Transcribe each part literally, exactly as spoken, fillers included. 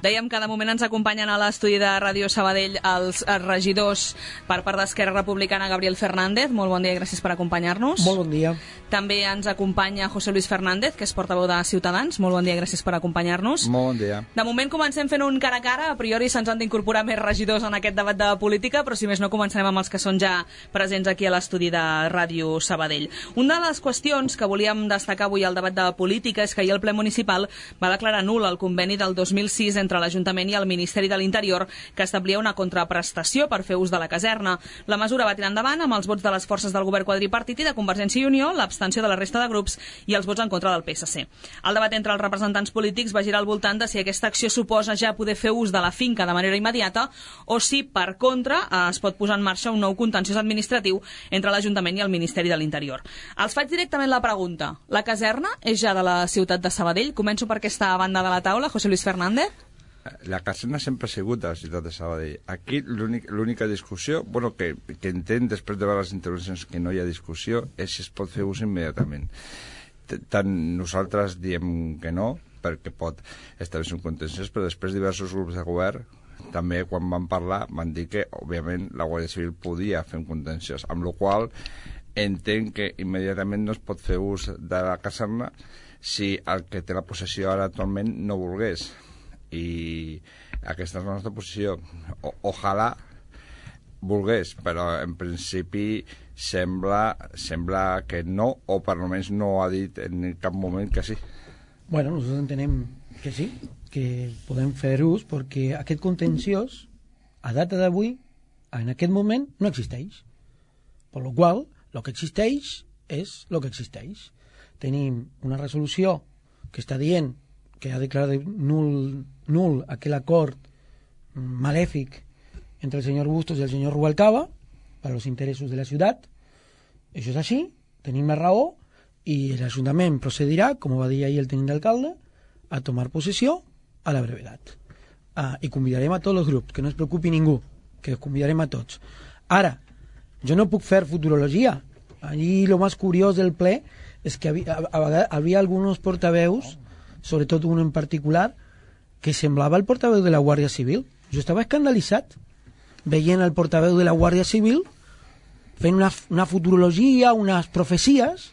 Dèiem que de moment ens acompanyen a l'estudi de Ràdio Sabadell els regidors per part d'Esquerra Republicana, Gabriel Fernández. Molt bon dia i gràcies per acompanyar-nos. Molt bon dia. També ens acompanya José Luis Fernández, que és portaveu de Ciutadans. Molt bon dia i gràcies per acompanyar-nos. Molt bon dia. De moment comencem fent un cara a cara. A priori se'ns han d'incorporar més regidors en aquest debat de política, però si més no començarem amb els que són ja presents aquí a l'estudi de Ràdio Sabadell. Una de les qüestions que volíem destacar avui al debat de política és que ahir el ple municipal va declarar nul el conveni del dos mil sis entre l'Ajuntament i el Ministeri de l'Interior que establia una contraprestació per fer ús de la caserna. La mesura va tirar endavant amb els vots de les forces del govern quadripartit i de Convergència i Unió, l'abstenció de la resta de grups i els vots en contra del P S C. El debat entre els representants polítics va girar al voltant de si aquesta acció suposa ja poder fer ús de la finca de manera immediata o si, per contra, es pot posar en marxa un nou contenciós administratiu entre l'Ajuntament i el Ministeri de l'Interior. Els faig directament la pregunta. La caserna és ja de la ciutat de Sabadell? Començo per aquesta banda de la taula, José Luis Fernández. La caserna sempre ha sigut de la ciutat de Sabadell. Aquí l'única discussió, bueno, que, que entenc després de veure les intervencions que no hi ha discussió, és si es pot fer ús immediatament. Tant nosaltres diem que no, perquè pot establir un contenciós, però després diversos grups de govern també quan van parlar van dir que, òbviament, la Guàrdia Civil podia fer un contenciós, amb la qual entenc que immediatament no es pot fer ús de la caserna si el que té la possessió ara actualment no volgués. I aquesta és la nostra posició. O, ojalà volgués, però en principi sembla, sembla que no, o per almenys no ha dit en cap moment que sí. Bueno, nosaltres entenem que sí, que podem fer ús, perquè aquest contenciós, a data d'avui, en aquest moment, no existeix. Per la qual cosa, el que existeix és el que existeix. Tenim una resolució que està dient que ha declarat nul, nul aquell acord malèfic entre el senyor Bustos i el senyor Rubalcaba per als interessos de la ciutat. Això és així, tenim la raó i l'Ajuntament procedirà, com va dir ahir el tenint d'alcalde, a tomar possessió a la brevetat. Ah, I convidarem a tots els grups, que no es preocupi ningú, que els convidarem a tots. Ara, jo no puc fer futurologia. Allí lo més curiós del ple és que havia, havia alguns portaveus, sobretot un en particular, que semblava el portaveu de la Guàrdia Civil. Jo estava escandalitzat veient el portaveu de la Guàrdia Civil fent una, una futurologia, unes profecies,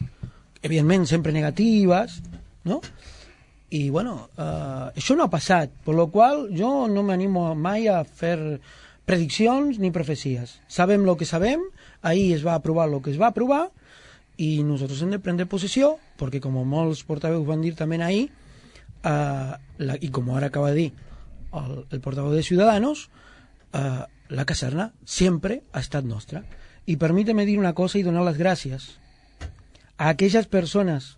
evidentment sempre negatives, no? I, bueno, eh, això no ha passat, per la qual jo no m'animo mai a fer prediccions ni profecies. Sabem el que sabem, ahir es va aprovar el que es va aprovar, i nosaltres hem de prendre possessió, perquè com molts portaveus van dir també ahir, Uh, la, i com ara acaba de dir el, el portaveu de Ciudadanos, uh, la caserna sempre ha estat nostra. I permíteme dir una cosa i donar les gràcies a aquelles persones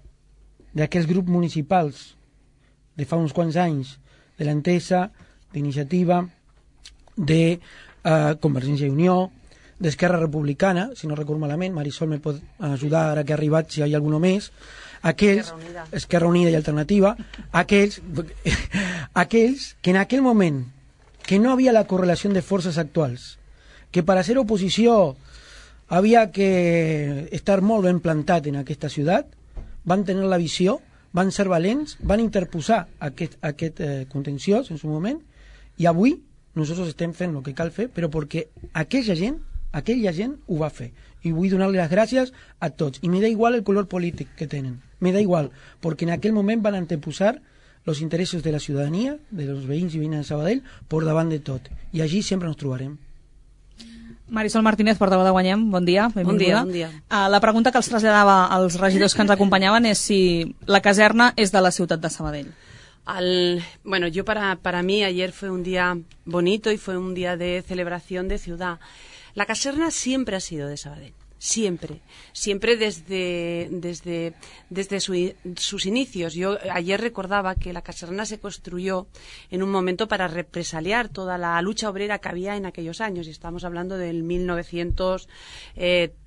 d'aquells grups municipals de fa uns quants anys, de l'Entesa, d'Iniciativa, de uh, Convergència i Unió, d'Esquerra Republicana, si no recordo malament, Marisol me pot ajudar ara que ha arribat si hi ha alguna més, aquells, Esquerra Unida, Esquerra Unida i Alternativa, aquells, aquells que en aquell moment que no havia la correlació de forces actuals, que per a ser oposició havia que estar molt ben plantat en aquesta ciutat, van tenir la visió, van ser valents, van interposar aquest, aquest eh, contenciós en su moment, i avui nosaltres estem fent el que cal fer, però perquè aquella gent aquella gent ho va fer. I vull donar-li les gràcies a tots. I me da igual el color polític que tenen. Me da igual, perquè en aquell moment van anteposar els interessos de la ciutadania, de los veïns i veïnes de Sabadell, per davant de tot. I allí sempre ens trobarem. Marisol Martínez, portaveu de Guanyem, bon dia, benvinguda. Bon dia, bon dia. Uh, la pregunta que els traslladava als regidors que ens acompanyaven és si la caserna és de la ciutat de Sabadell. Al, bueno, yo para, para mí ayer fue un día bonito y fue un día de celebración de ciudad. La caserna siempre ha sido de Sabadell, siempre, siempre desde, desde, desde su, sus inicios. Yo ayer recordaba que la caserna se construyó en un momento para represaliar toda la lucha obrera que había en aquellos años, y estamos hablando del mil novecientos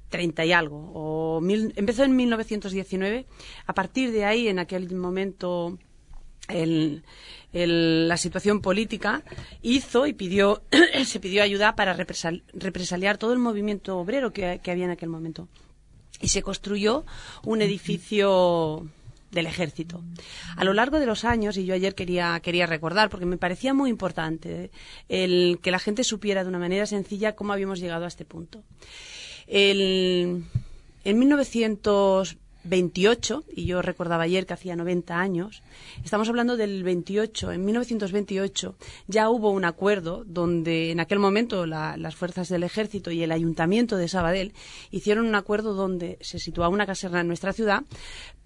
treinta y algo, o mil, empezó en mil novecientos diecinueve. A partir de ahí, en aquel momento, El, el, la situación política hizo y pidió se pidió ayuda para represal, represaliar todo el movimiento obrero que, que había en aquel momento, y se construyó un edificio del ejército. A lo largo de los años, y yo ayer quería, quería recordar, porque me parecía muy importante el que la gente supiera de una manera sencilla cómo habíamos llegado a este punto. El, en mil novecientos veintiocho, y yo recordaba ayer que hacía noventa años, estamos hablando del veintiocho, en mil novecientos veintiocho ya hubo un acuerdo donde en aquel momento la, las fuerzas del ejército y el ayuntamiento de Sabadell hicieron un acuerdo donde se situaba una caserna en nuestra ciudad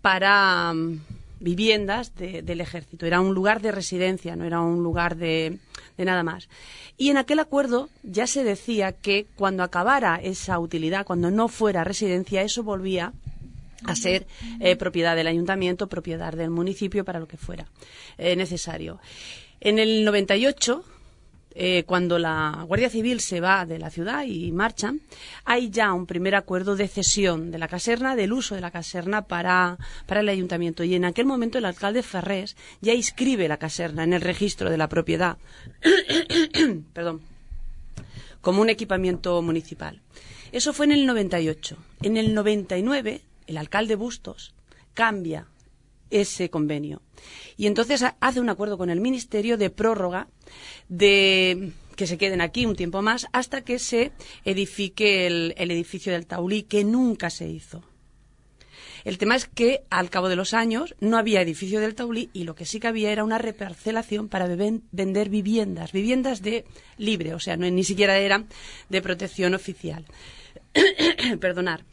para um, viviendas de, del ejército. Era un lugar de residencia, no era un lugar de, de nada más. Y en aquel acuerdo ya se decía que cuando acabara esa utilidad, cuando no fuera residencia, eso volvía a ser eh, propiedad del ayuntamiento, propiedad del municipio, para lo que fuera eh, necesario. En el noventa y ocho, eh, cuando la Guardia Civil se va de la ciudad y marcha, hay ya un primer acuerdo de cesión de la caserna, del uso de la caserna para, para el ayuntamiento. Y en aquel momento el alcalde Ferrés ya inscribe la caserna en el registro de la propiedad perdón, como un equipamiento municipal. Eso fue en el noventa y ocho. En el noventa y nueve, el alcalde Bustos cambia ese convenio y entonces hace un acuerdo con el ministerio de prórroga de que se queden aquí un tiempo más hasta que se edifique el, el edificio del Taulí, que nunca se hizo. El tema es que al cabo de los años no había edificio del Taulí y lo que sí que había era una reparcelación para beben, vender viviendas, viviendas de libre, o sea, no, ni siquiera eran de protección oficial. Perdonar.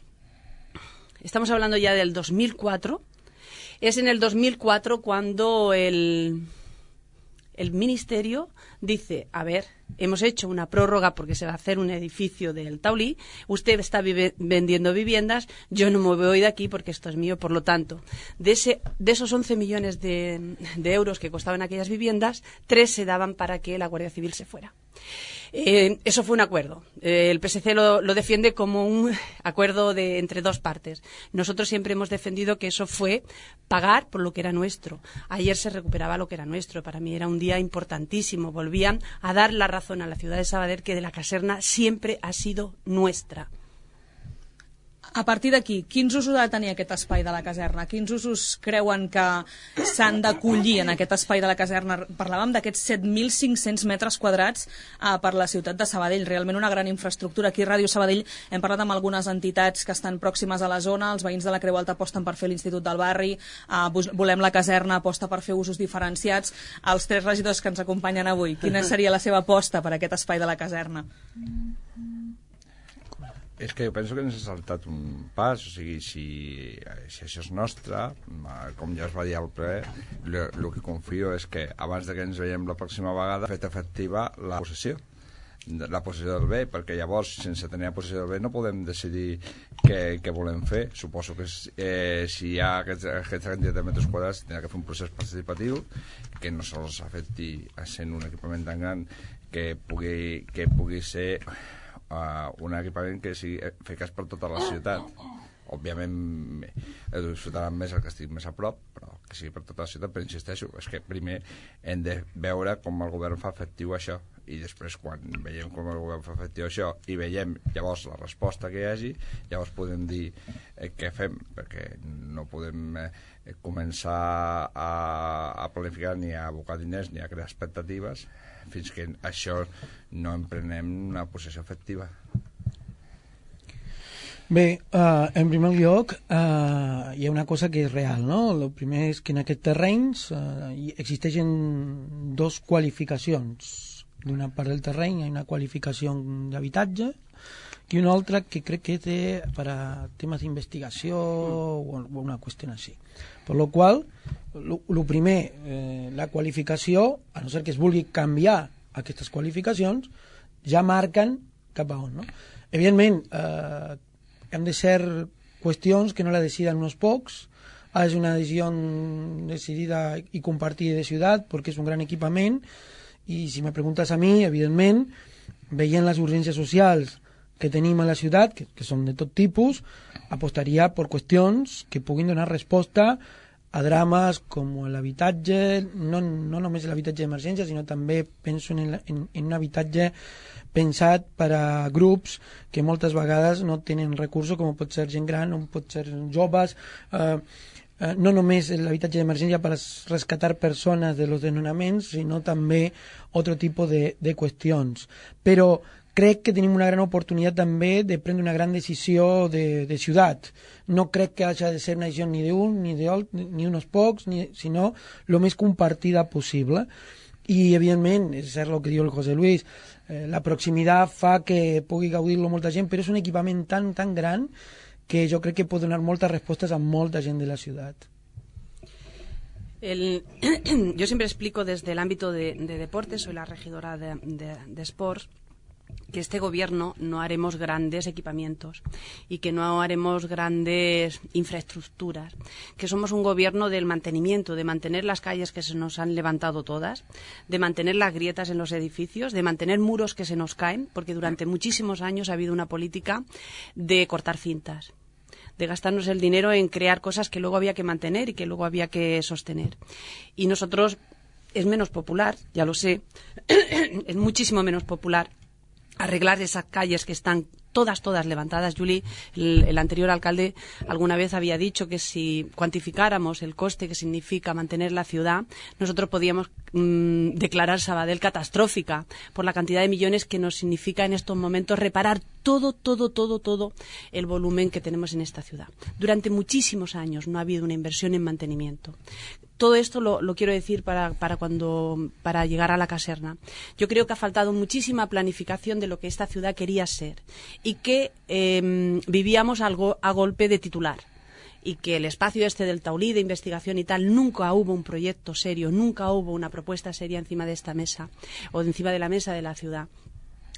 Estamos hablando ya del dos mil cuatro. Es en el dos mil cuatro cuando el, el ministerio dice, a ver, hemos hecho una prórroga porque se va a hacer un edificio del Taulí, usted está vive, vendiendo viviendas, yo no me voy de aquí porque esto es mío, por lo tanto, de, ese, de esos once millones de, de euros que costaban aquellas viviendas, tres se daban para que la Guardia Civil se fuera. Eh, eso fue un acuerdo. Eh, el P S C lo, lo defiende como un acuerdo de, entre dos partes. Nosotros siempre hemos defendido que eso fue pagar por lo que era nuestro. Ayer se recuperaba lo que era nuestro. Para mí era un día importantísimo. Volvían a dar la razón a la ciudad de Sabadell que de la caserna siempre ha sido nuestra. A partir d'aquí, quins usos ha de tenir aquest espai de la caserna? Quins usos creuen que s'han d'acollir en aquest espai de la caserna? Parlàvem d'aquests set mil cinc-cents metres quadrats eh, per la ciutat de Sabadell, realment una gran infraestructura. Aquí a Ràdio Sabadell hem parlat amb algunes entitats que estan pròximes a la zona, els veïns de la Creu Alta aposten per fer l'Institut del Barri, eh, volem la caserna aposta per fer usos diferenciats. Els tres regidors que ens acompanyen avui, quina seria la seva aposta per aquest espai de la caserna? És que jo penso que ens ha saltat un pas, o sigui, si, si això és nostre, com ja es va dir al ple, el que confio és que abans de que ens veiem la pròxima vegada, fet efectiva la possessió, la possessió del bé, perquè llavors, sense tenir la possessió del bé, no podem decidir què, què volem fer. Suposo que eh, si hi ha aquests, aquests quantitat de metres quadrats, tindrà que fer un procés participatiu que no sols afecti a sent un equipament tan gran que pugui, que pugui ser Uh, un equipament que sigui eficaç per tota la ciutat. Òbviament ho disfrutaran més el que estigui més a prop, però que sigui per tota la ciutat. Però insisteixo, és que primer hem de veure com el govern fa efectiu això, i després quan veiem com el govern fa efectiu això i veiem llavors la resposta que hi hagi, llavors podem dir eh, què fem, perquè no podem eh, començar a, a planificar ni a abocar diners ni a crear expectatives fins que això no emprenem una possessió efectiva. Bé, uh, en primer lloc uh, hi ha una cosa que és real, no? El primer és que en aquests terrenys uh, existeixen dos qualificacions. D'una part del terreny hi ha una qualificació d'habitatge i una altra que crec que té per a temes d'investigació o una qüestió així. Per lo qual, el primer, eh, la qualificació, a no ser que es vulgui canviar aquestes qualificacions, ja marquen cap a on, no? Evidentment, eh, hem de ser qüestions que no la deciden uns pocs, és una decisió decidida i compartida de ciutat perquè és un gran equipament i si me preguntes a mi, evidentment, veient les urgències socials que tenim a la ciutat, que, que són de tot tipus, apostaria per qüestions que puguin donar resposta a drames com l'habitatge, no, no només l'habitatge d'emergència, sinó també penso en, en, en un habitatge pensat per a grups que moltes vegades no tenen recursos, com pot ser gent gran, o pot ser joves. Eh, eh, no només l'habitatge d'emergència per rescatar persones de los desnonaments, sinó també otro tipus de, de qüestions. Però crec que tenim una gran oportunitat també de prendre una gran decisió de, de ciutat. No crec que hagi de ser una decisió ni d'un, ni d'altre, ni uns pocs, ni, sinó el més compartida possible. I, evidentment, és cert el que diu el José Luis, eh, la proximitat fa que pugui gaudir-lo molta gent, però és un equipament tan, tan gran que jo crec que pot donar moltes respostes a molta gent de la ciutat. El, yo siempre explico desde el ámbito de, de deportes, soy la regidora de, de, de Sports, que este gobierno no haremos grandes equipamientos y que no haremos grandes infraestructuras, que somos un gobierno del mantenimiento, de mantener las calles que se nos han levantado todas, de mantener las grietas en los edificios, de mantener muros que se nos caen, porque durante muchísimos años ha habido una política de cortar cintas, de gastarnos el dinero en crear cosas que luego había que mantener y que luego había que sostener. Y nosotros, es menos popular, ya lo sé, es muchísimo menos popular arreglar esas calles que están todas, todas levantadas. Juli, el, el anterior alcalde, alguna vez había dicho que si cuantificáramos el coste que significa mantener la ciudad, nosotros podíamos mmm, declarar Sabadell catastrófica por la cantidad de millones que nos significa en estos momentos reparar todo, todo, todo, todo el volumen que tenemos en esta ciudad. Durante muchísimos años no ha habido una inversión en mantenimiento. Todo esto lo, lo quiero decir para, para, cuando, para llegar a la caserna. Yo creo que ha faltado muchísima planificación de lo que esta ciudad quería ser y que eh, vivíamos algo a golpe de titular. Y que el espacio este del Taulí de investigación y tal, nunca hubo un proyecto serio, nunca hubo una propuesta seria encima de esta mesa o encima de la mesa de la ciudad.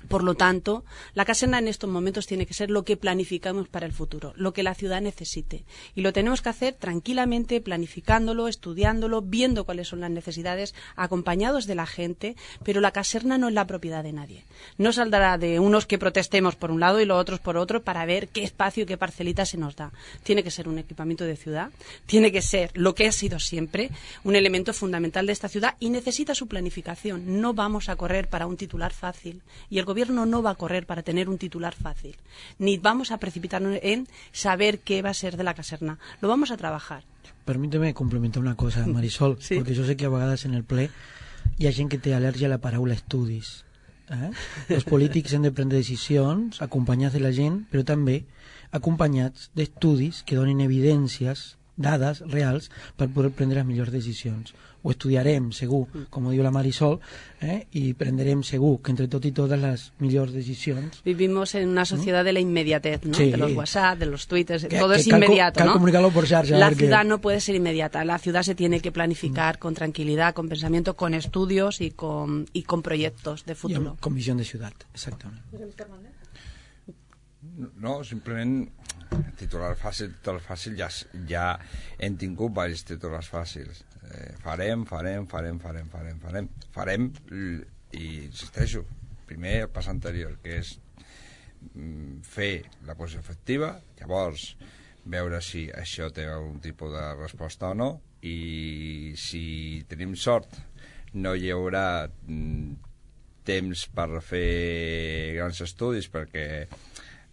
Por lo tanto, la caserna en estos momentos tiene que ser lo que planificamos para el futuro, lo que la ciudad necesite. Y lo tenemos que hacer tranquilamente, planificándolo, estudiándolo, viendo cuáles son las necesidades, acompañados de la gente, pero la caserna no es la propiedad de nadie. No saldrá de unos que protestemos por un lado y los otros por otro para ver qué espacio y qué parcelita se nos da. Tiene que ser un equipamiento de ciudad, tiene que ser lo que ha sido siempre, un elemento fundamental de esta ciudad y necesita su planificación. No vamos a correr para un titular fácil y el gobierno no va a correr para tener un titular fácil, ni vamos a precipitarnos en saber qué va a ser de la caserna. Lo vamos a trabajar. Permíteme complementar una cosa, Marisol, sí. Perquè jo sé que a vegades en el ple hi ha gent que té al·lèrgia a la paraula estudis. Eh? Els polítics han de prendre decisions acompanyats de la gent, però també acompanyats d'estudis que donin evidències, dades reals, per poder prendre les millors decisions. Ho estudiarem, segur, com diu la Marisol, eh? i prendrem segur que entre tot i totes les millors decisions. Vivimos en una sociedad ¿no? de la inmediatez, ¿no? Sí. De los WhatsApp, de los twitters, que, todo que es cal, inmediato, cal ¿no? comunicarlo por xarxa. La porque... ciudad no puede ser inmediata, la ciudad se tiene que planificar mm. con tranquilidad, con pensamiento, con estudios y con, y con proyectos de futuro. Con visión de ciudad, exactament. No, simplement titular fàcil, titular fàcil, ja, ja hem tingut diversos titulars fàcils. Eh, farem, farem, farem, farem, farem, farem, farem, i insisteixo, primer el pas anterior, que és mm, fer la posició efectiva, llavors veure si això té algun tipus de resposta o no, i si tenim sort no hi haurà mm, temps per fer grans estudis perquè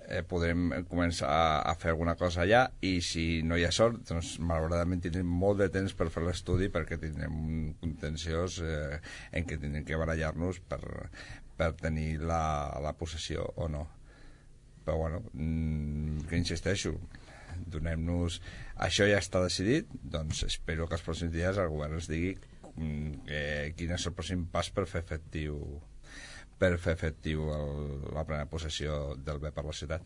eh, podrem començar a, a fer alguna cosa allà, i si no hi ha sort, doncs malauradament tindrem molt de temps per fer l'estudi perquè tindrem un contenciós eh, en què tindrem que barallar-nos per, per tenir la, la possessió o no. Però bueno, mm, que insisteixo, donem-nos... Això ja està decidit, doncs espero que els pròxims dies el govern ens digui mm, eh, quin és el pròxim pas per fer efectiu per fer efectiu el, la plena possessió del bé per la ciutat.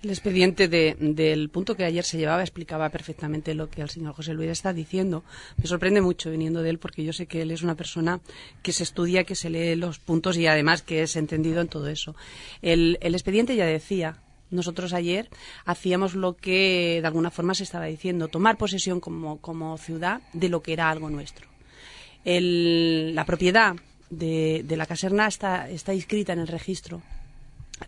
El expediente de, del punto que ayer se llevaba explicaba perfectamente lo que el señor José Luis está diciendo. Me sorprende mucho viniendo de él porque yo sé que él es una persona que se estudia, que se lee los puntos y además que es entendido en todo eso. El, el expediente ya decía, nosotros ayer hacíamos lo que de alguna forma se estaba diciendo, tomar posesión como, como ciudad de lo que era algo nuestro. El, la propiedad De, de la caserna está, está inscrita en el registro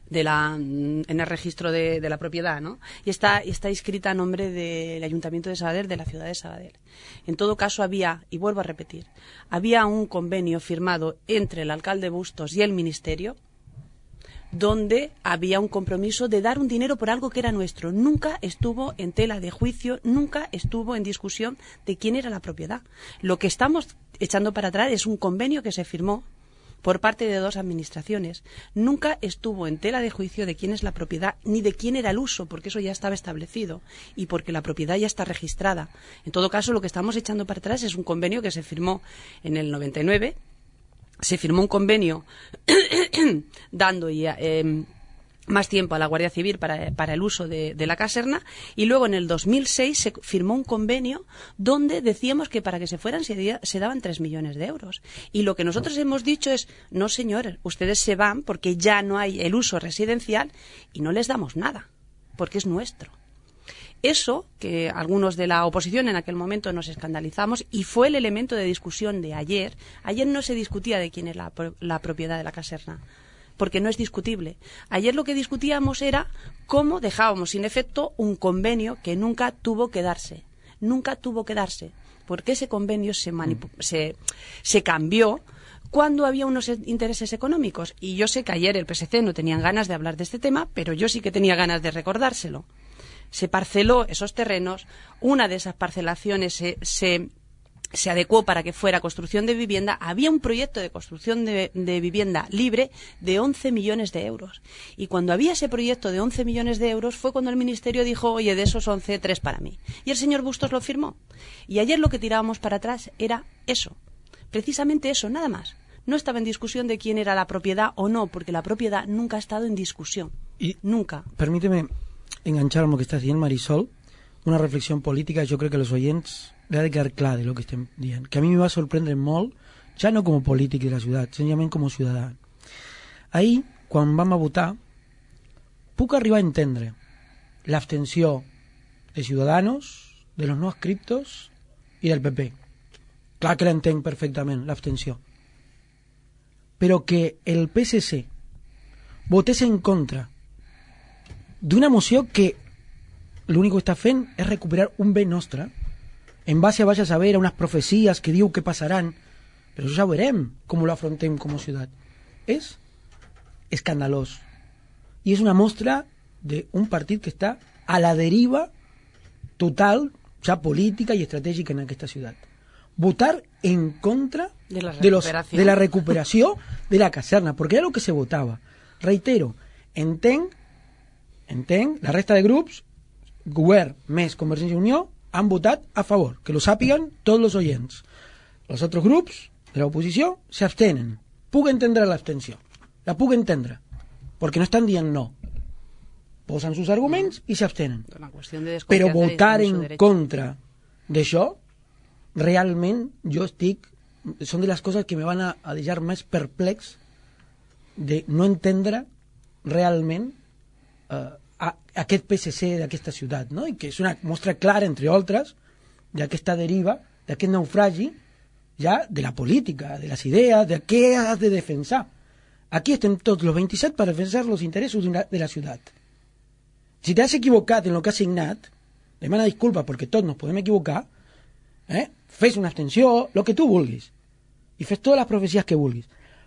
de la, en el registro de, de la propiedad, ¿no? Y está, está inscrita a nombre del Ayuntamiento de Sabadell, de la ciudad de Sabadell. En todo caso había, y vuelvo a repetir, había un convenio firmado entre el alcalde Bustos y el Ministerio donde había un compromiso de dar un dinero por algo que era nuestro. Nunca estuvo en tela de juicio, nunca estuvo en discusión de quién era la propiedad. Lo que estamos echando para atrás es un convenio que se firmó por parte de dos administraciones. Nunca estuvo en tela de juicio de quién es la propiedad ni de quién era el uso, porque eso ya estaba establecido y porque la propiedad ya está registrada. En todo caso, lo que estamos echando para atrás es un convenio que se firmó en el noventa y nueve. Se firmó un convenio dando ya, eh, más tiempo a la Guardia Civil para, para el uso de, de la caserna, y luego en el dos mil seis se firmó un convenio donde decíamos que para que se fueran se, se daban tres millones de euros. Y lo que nosotros hemos dicho es, no señores, ustedes se van porque ya no hay el uso residencial y no les damos nada, porque es nuestro. Eso, que algunos de la oposición en aquel momento nos escandalizamos, y fue el elemento de discusión de ayer. Ayer no se discutía de quién es la, la propiedad de la caserna, porque no es discutible. Ayer lo que discutíamos era cómo dejábamos sin efecto un convenio que nunca tuvo que darse. Nunca tuvo que darse, porque ese convenio se, manipu- se, se cambió cuando había unos intereses económicos. Y yo sé que ayer el P S C no tenían ganas de hablar de este tema, pero yo sí que tenía ganas de recordárselo. Se parceló esos terrenos, una de esas parcelaciones se, se, se adecuó para que fuera construcción de vivienda. Había un proyecto de construcción de, de vivienda libre de once millones de euros. Y cuando había ese proyecto de once millones de euros fue cuando el Ministerio dijo, oye, de esos once, tres para mí. Y el señor Bustos lo firmó. Y ayer lo que tirábamos para atrás era eso, precisamente eso, nada más. No estaba en discusión de quién era la propiedad o no, porque la propiedad nunca ha estado en discusión. Y nunca. Permíteme enganchar amb el que estàs dient, Marisol, una reflexió política. Jo crec que als oients li ha de quedar clar de lo que estem dient, que a mi me va sorprendre molt, ja no com a polític de la ciutat, senzillament com a ciutadà. Ahir, quan vam a votar, puc arribar a entendre l'abstenció de Ciudadanos, de los no adscriptos i del P P. Clar que l'entenc perfectament, l'abstenció. Però que el P S C votés en contra d'una moció que l'únic que està fent és recuperar un bé nostre en base a, vaya a saber, a unes profecies que diu que passaran, però això ja veurem com ho afrontem com a ciutat. És escandalós i és una mostra d'un partit que està a la deriva total, ja política i estratègica en aquesta ciutat. Votar en contra de la de, los, recuperació. de la recuperació de la caserna, perquè era el que se votava. Reitero, entenc entenc, la resta de grups, govern més Convergència i Unió, han votat a favor, que lo sàpiguen tots els oients. Els altres grups de l'oposició s'abstenen. Puc entendre l'abstenció, la puc entendre, perquè no estan dient no. Posen sus arguments i s'abstenen. Però votar en contra d'això, realment jo estic... Són de les coses que me van a, a deixar més perplex de no entendre realment eh, a, aquest P S C d'aquesta ciutat, no? I que és una mostra clara, entre altres, d'aquesta deriva, d'aquest naufragi ja de la política, de les idees, de què has de defensar. Aquí estem tots els vint-i-set per defensar els interessos de, una, de la ciutat. Si t'has equivocat en el que has signat, demana disculpa perquè tots nos podem equivocar, eh? Fes una abstenció, el que tu vulguis, i fes totes les profecies que vulguis,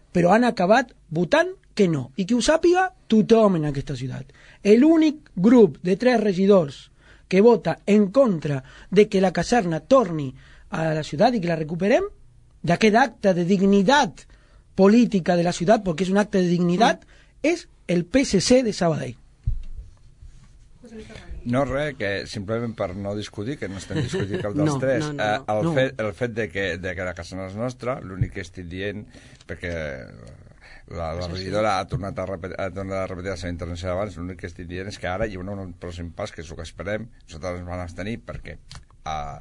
però han acabat votant que no, i que ho sàpiga tothom en aquesta ciutat. L'únic grup de tres regidors que vota en contra de que la caserna torni a la ciutat i que la recuperem, d'aquest acte de dignitat política de la ciutat, perquè és un acte de dignitat, mm. és el P S C de Sabadell. No, res, que simplement per no discutir, que no estem discutint cap dels no, tres, no, no, eh, el, no. fet, el fet de que, de que la casa no és nostra, l'únic que estic dient, perquè la, la regidora ha tornat a repetir, ha tornat a repetir la seva intervenció d'abans, l'únic que estic dient és que ara hi haurà un pròxim pas, que és el que esperem, nosaltres ens vam abstenir, perquè eh,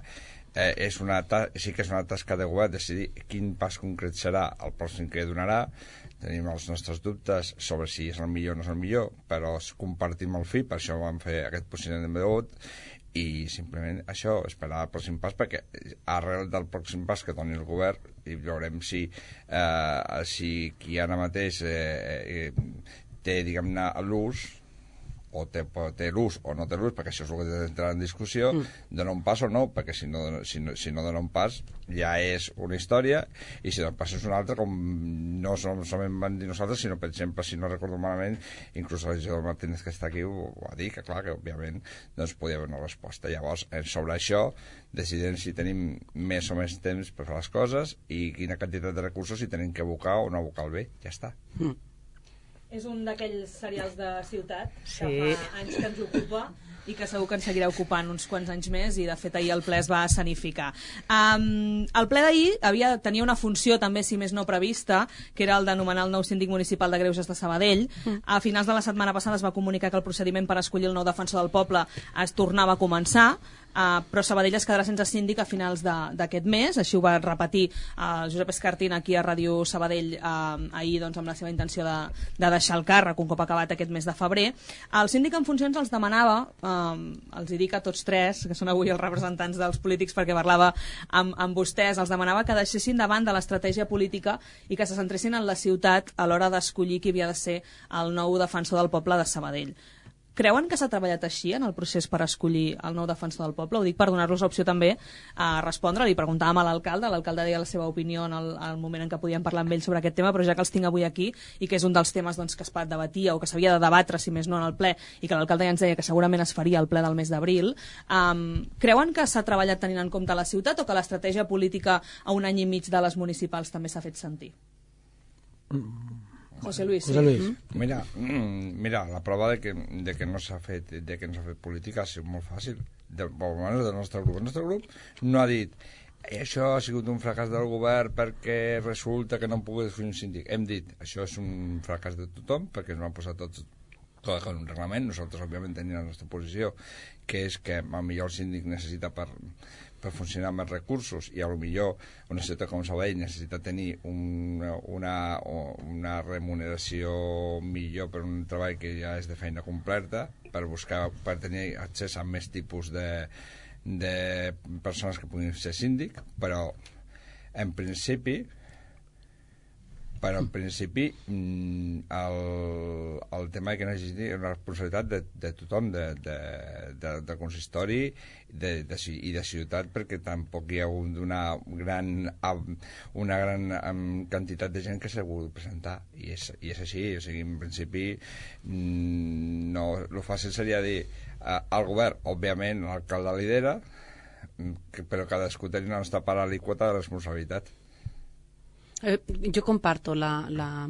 eh, és una ta- sí que és una tasca de govern decidir quin pas concret serà el pròxim que donarà. Tenim els nostres dubtes sobre si és el millor o no és el millor, però compartim el fi, per això vam fer aquest posicionament de vot, i simplement això, esperar el pròxim pas, perquè arrel del pròxim pas que doni el govern, i veurem si, eh, si qui ara mateix eh, eh, té, diguem-ne, l'ús o té, té l'ús o no té l'ús, perquè això és el que té d'entrar en discussió, mm. dona un pas o no, perquè si no, si, no, si no dona un pas ja és una història, i si dona un pas és una altra, com no solament van dir nosaltres, sinó, per exemple, si no recordo malament, inclús el regidor Martínez, que està aquí, ho, ho va dir, que clar, que òbviament doncs, podia haver una resposta. Llavors, sobre això, decidim si tenim més o més temps per fer les coses i quina quantitat de recursos si tenim que abocar o no abocar el bé. Ja està. Mm. És un d'aquells serials de ciutat sí. que fa anys que ens ocupa i que segur que ens seguirà ocupant uns quants anys més, i de fet ahir el ple es va escenificar. Um, el ple d'ahir havia, tenia una funció també, si més no prevista, que era el de nomenar el nou síndic municipal de Greuges de Sabadell. Mm. A finals de la setmana passada es va comunicar que el procediment per escollir el nou defensor del poble es tornava a començar, Uh, però Sabadell es quedarà sense síndic a finals d'aquest mes. Així ho va repetir uh, Josep Escartín aquí a Ràdio Sabadell uh, ahir, doncs, amb la seva intenció de, de deixar el càrrec un cop acabat aquest mes de febrer. El síndic en funcions els demanava, uh, els hi dic a tots tres, que són avui els representants dels polítics perquè parlava amb, amb vostès, els demanava que deixessin davant de l'estratègia política i que se centressin en la ciutat a l'hora d'escollir qui havia de ser el nou defensor del poble de Sabadell. Creuen que s'ha treballat així en el procés per escollir el nou defensor del poble? Ho dic per donar-los l'opció també a respondre. Li preguntàvem a l'alcalde, l'alcalde deia la seva opinió en el, en el moment en què podíem parlar amb ell sobre aquest tema, però ja que els tinc avui aquí i que és un dels temes doncs, que es debatia o que s'havia de debatre, si més no, en el ple, i que l'alcalde ja ens deia que segurament es faria al ple del mes d'abril, um, creuen que s'ha treballat tenint en compte la ciutat o que l'estratègia política a un any i mig de les municipals també s'ha fet sentir? Mm. José Luis, José Luis. Sí. Mira, mm, mira, la prova de que, de que no s'ha fet, de que no s'ha fet política ha sigut molt fàcil. De, almenys del nostre grup. El nostre grup no ha dit això ha sigut un fracàs del govern perquè resulta que no hem pogut fer un síndic. Hem dit, això és un fracàs de tothom perquè ens van posar tots tot en un reglament. Nosaltres, òbviament, tenim la nostra posició, que és que potser el síndic necessita per per funcionar amb els recursos, i a lo millor una ciutat com Sabadell necessita tenir una, una, una remuneració millor per un treball que ja és de feina completa, per buscar, per tenir accés a més tipus de, de persones que puguin ser síndic, però en principi però en principi el, el tema que necessiti és una responsabilitat de, de tothom, de, de, de, de consistori de, de, i de ciutat, perquè tampoc hi ha una gran, una gran um, quantitat de gent que s'ha volgut presentar, i és, i és així. O sigui, en principi no, el fàcil seria dir uh, al govern, òbviament l'alcalde lidera, que, però cadascú té la nostra part a l'alíquota de responsabilitat. Eh, yo comparto la, la,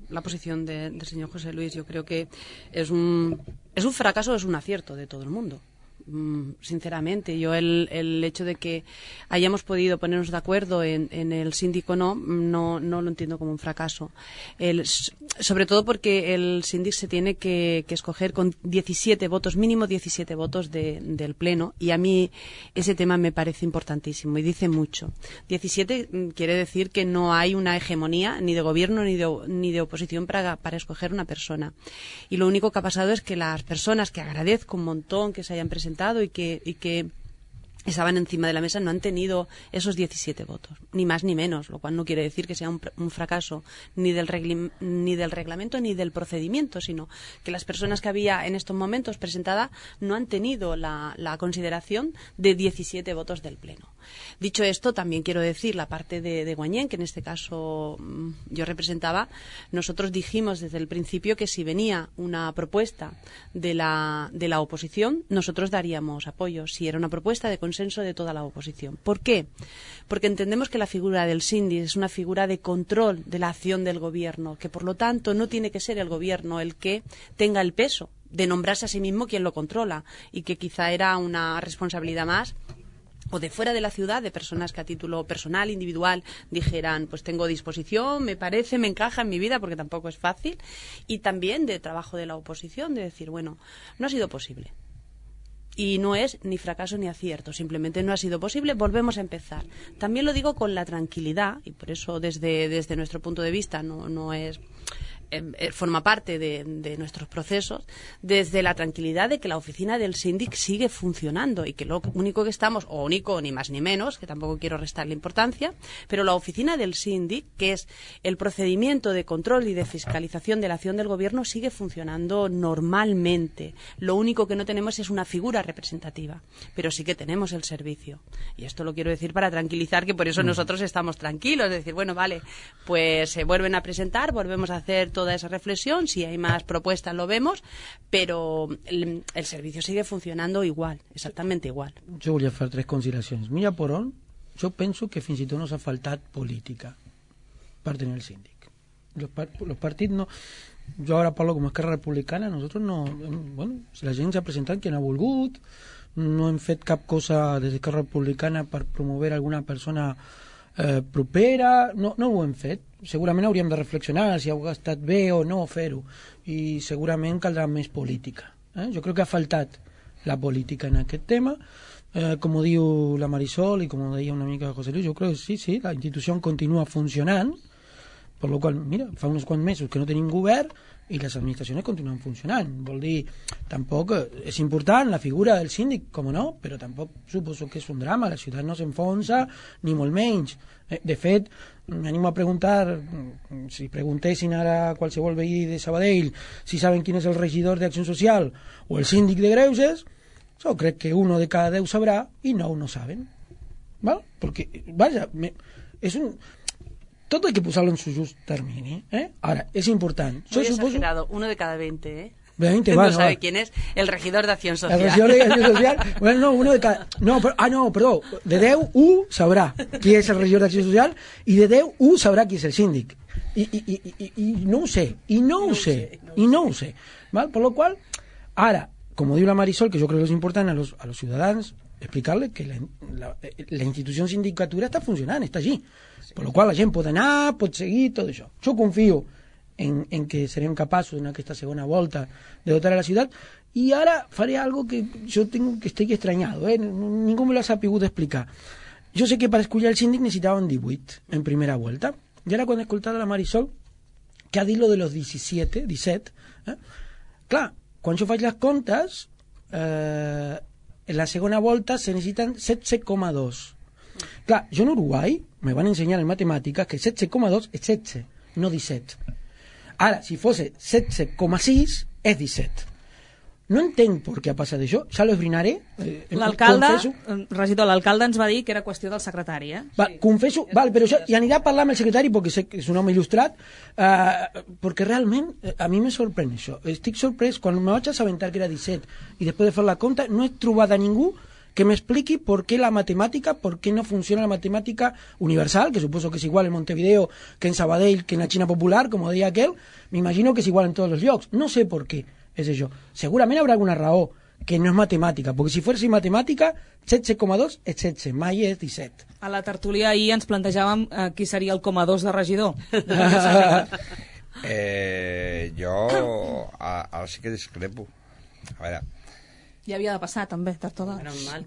la posición de, del señor José Luis. Yo creo que es un, es un fracaso, es un acierto de todo el mundo. Mm, sinceramente, yo el, el hecho de que hayamos podido ponernos de acuerdo en, en el síndico no, no, no lo entiendo como un fracaso. El, sobre todo porque el síndic se tiene que, que escoger con diecisiete votos, mínimo diecisiete votos de, del Pleno, y a mí ese tema me parece importantísimo y dice mucho. diecisiete quiere decir que no hay una hegemonía ni de gobierno ni de, ni de oposición para, para escoger una persona. Y lo único que ha pasado es que las personas, que agradezco un montón que se hayan presentado y que, y que estaban encima de la mesa, no han tenido esos diecisiete votos, ni más ni menos, lo cual no quiere decir que sea un, un fracaso ni del, regli, ni del reglamento ni del procedimiento, sino que las personas que había en estos momentos presentadas no han tenido la, la consideración de diecisiete votos del Pleno. Dicho esto, también quiero decir la parte de, de Guañén, que en este caso mmm, yo representaba. Nosotros dijimos desde el principio que si venía una propuesta de la, de la oposición, nosotros daríamos apoyo, si era una propuesta de consenso de toda la oposición. ¿Por qué? Porque entendemos que la figura del síndic es una figura de control de la acción del gobierno, que por lo tanto no tiene que ser el gobierno el que tenga el peso de nombrarse a sí mismo quien lo controla, y que quizá era una responsabilidad más o de fuera de la ciudad, de personas que a título personal, individual, dijeran, pues tengo disposición, me parece, me encaja en mi vida, porque tampoco es fácil, y también de trabajo de la oposición, de decir, bueno, no ha sido posible. Y no es ni fracaso ni acierto, simplemente no ha sido posible, volvemos a empezar. También lo digo con la tranquilidad, y por eso desde, desde nuestro punto de vista no, no es eh, forma parte de, de nuestros procesos, desde la tranquilidad de que la oficina del síndic sigue funcionando y que lo único que estamos, o único ni más ni menos, que tampoco quiero restarle importancia, pero la oficina del síndic, que es el procedimiento de control y de fiscalización de la acción del gobierno, sigue funcionando normalmente. Lo único que no tenemos es una figura representativa, pero sí que tenemos el servicio. Y esto lo quiero decir para tranquilizar, que por eso nosotros estamos tranquilos, es decir, bueno, vale, pues se vuelven a presentar, volvemos a hacer toda esa reflexión, si hay más propuestas lo vemos, pero el, el servicio sigue funcionando igual, exactamente igual. Jo volia fer tres consideracions. Mira per on, jo penso que fins i tot nos ha faltat política per tenir el síndic. Los, par los partits no... Jo ara parlo com a Esquerra Republicana, nosotros no... Bueno, la gent s'ha presentat que no ha volgut, no hem fet cap cosa des d'Esquerra Republicana per promover alguna persona eh, propera, no, no ho hem fet. Segurament hauríem de reflexionar si ha estat bé o no fer-ho, i segurament caldrà més política. Eh? Jo crec que ha faltat la política en aquest tema, eh, com ho diu la Marisol i com ho deia una mica José Luis, jo crec que sí, sí, la institució continua funcionant, per la qual, mira, fa uns quants mesos que no tenim govern i les administracions continuen funcionant. Vol dir, tampoc és important la figura del síndic, com no, però tampoc suposo que és un drama, la ciutat no s'enfonsa, ni molt menys. De fet, m'animo a preguntar, si preguntessin ara a qualsevol veí de Sabadell si saben quin és el regidor d'Acció Social o el síndic de Greuges, jo crec que uno de cada deu sabrà i nou no saben. ¿Vale? Porque, vaya, me, es un... Todo hay que posarlo en su just termini, ¿eh? Ahora, es importante. Muy exagerado, suposo... uno de cada veinte, ¿eh? veinte, no bueno, sabe va. quién es el regidor de Acción Social. El regidor de Acción Social, bueno, no, uno de cada... No, pero, ah, no, perdó, de deu, u sabrà qui és el regidor d'Acció Social i de deu, u sabrà qui és el síndic. I, i, i, i, i no ho sé, i no ho sé, i no ho sé. ¿Vale? Por lo cual, ara, como diu la Marisol, que yo creo que es importante a los, a los ciudadanos explicarles que la, la, la institució sindicatura està funcionant, està allí. Per la qual la gent pot anar, pot seguir, tot això. Jo confio en, en que serem capaços en aquesta segona volta de dotar a la ciutat, i ara faré algo que jo tengo, que estic estranyado, eh? Ningú me lo ha sapigut explicar. Jo sé que per escollir el síndic necessitaven divuit en primera vuelta, i ara quan he escoltat a la Marisol que ha dit lo de los disset, disset, eh? Clar, quan jo faig les comptes, eh, en la segona volta se necessiten setze coma dos. Clar, jo en Uruguai me van ensenyar en matemàtiques que setze coma dos és setze, no disset. Ara, si fosse setze coma sis, és disset. No entenc per què ha passat això, ja lo esbrinaré. Eh, l'alcalde, regidor, l'alcalde ens va dir que era qüestió del secretari, eh? Va, confesso, val, però això, i aniré a parlar amb el secretari perquè sé que és un home il·lustrat, eh, perquè realment eh, a mi me sorprèn això. Estic sorprès, quan me vaig assabentar que era disset i després de fer la compta, no he trobat a ningú que m'expliqui per què la matemàtica, per què no funciona la matemàtica universal, que suposo que és igual en Montevideo que en Sabadell, que en la Xina popular, com deia aquel, m'imagino que és igual en tots els llocs. No sé per què és això. Segurament haurà alguna raó que no és matemàtica, perquè si fos matemàtica, setze coma dos és setze, mai és disset. A la tertúlia ahir ens plantejàvem eh, qui seria el coma dos de regidor. eh, jo a, ara sí que discrepo. A veure, ja havia de passar, també, tard o d'hora. Mal.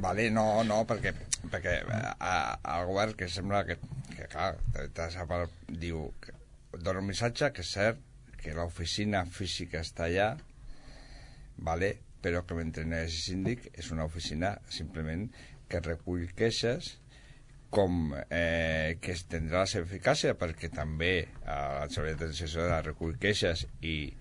Vale, no, no, perquè, perquè a, el govern que sembla que, que clar, diu, dona un missatge que és cert que l'oficina física està allà, vale, però que mentre no hi hagi síndic és una oficina simplement que recull queixes, com eh, que es tindrà la seva eficàcia, perquè també eh, la Seguretat Social recull queixes i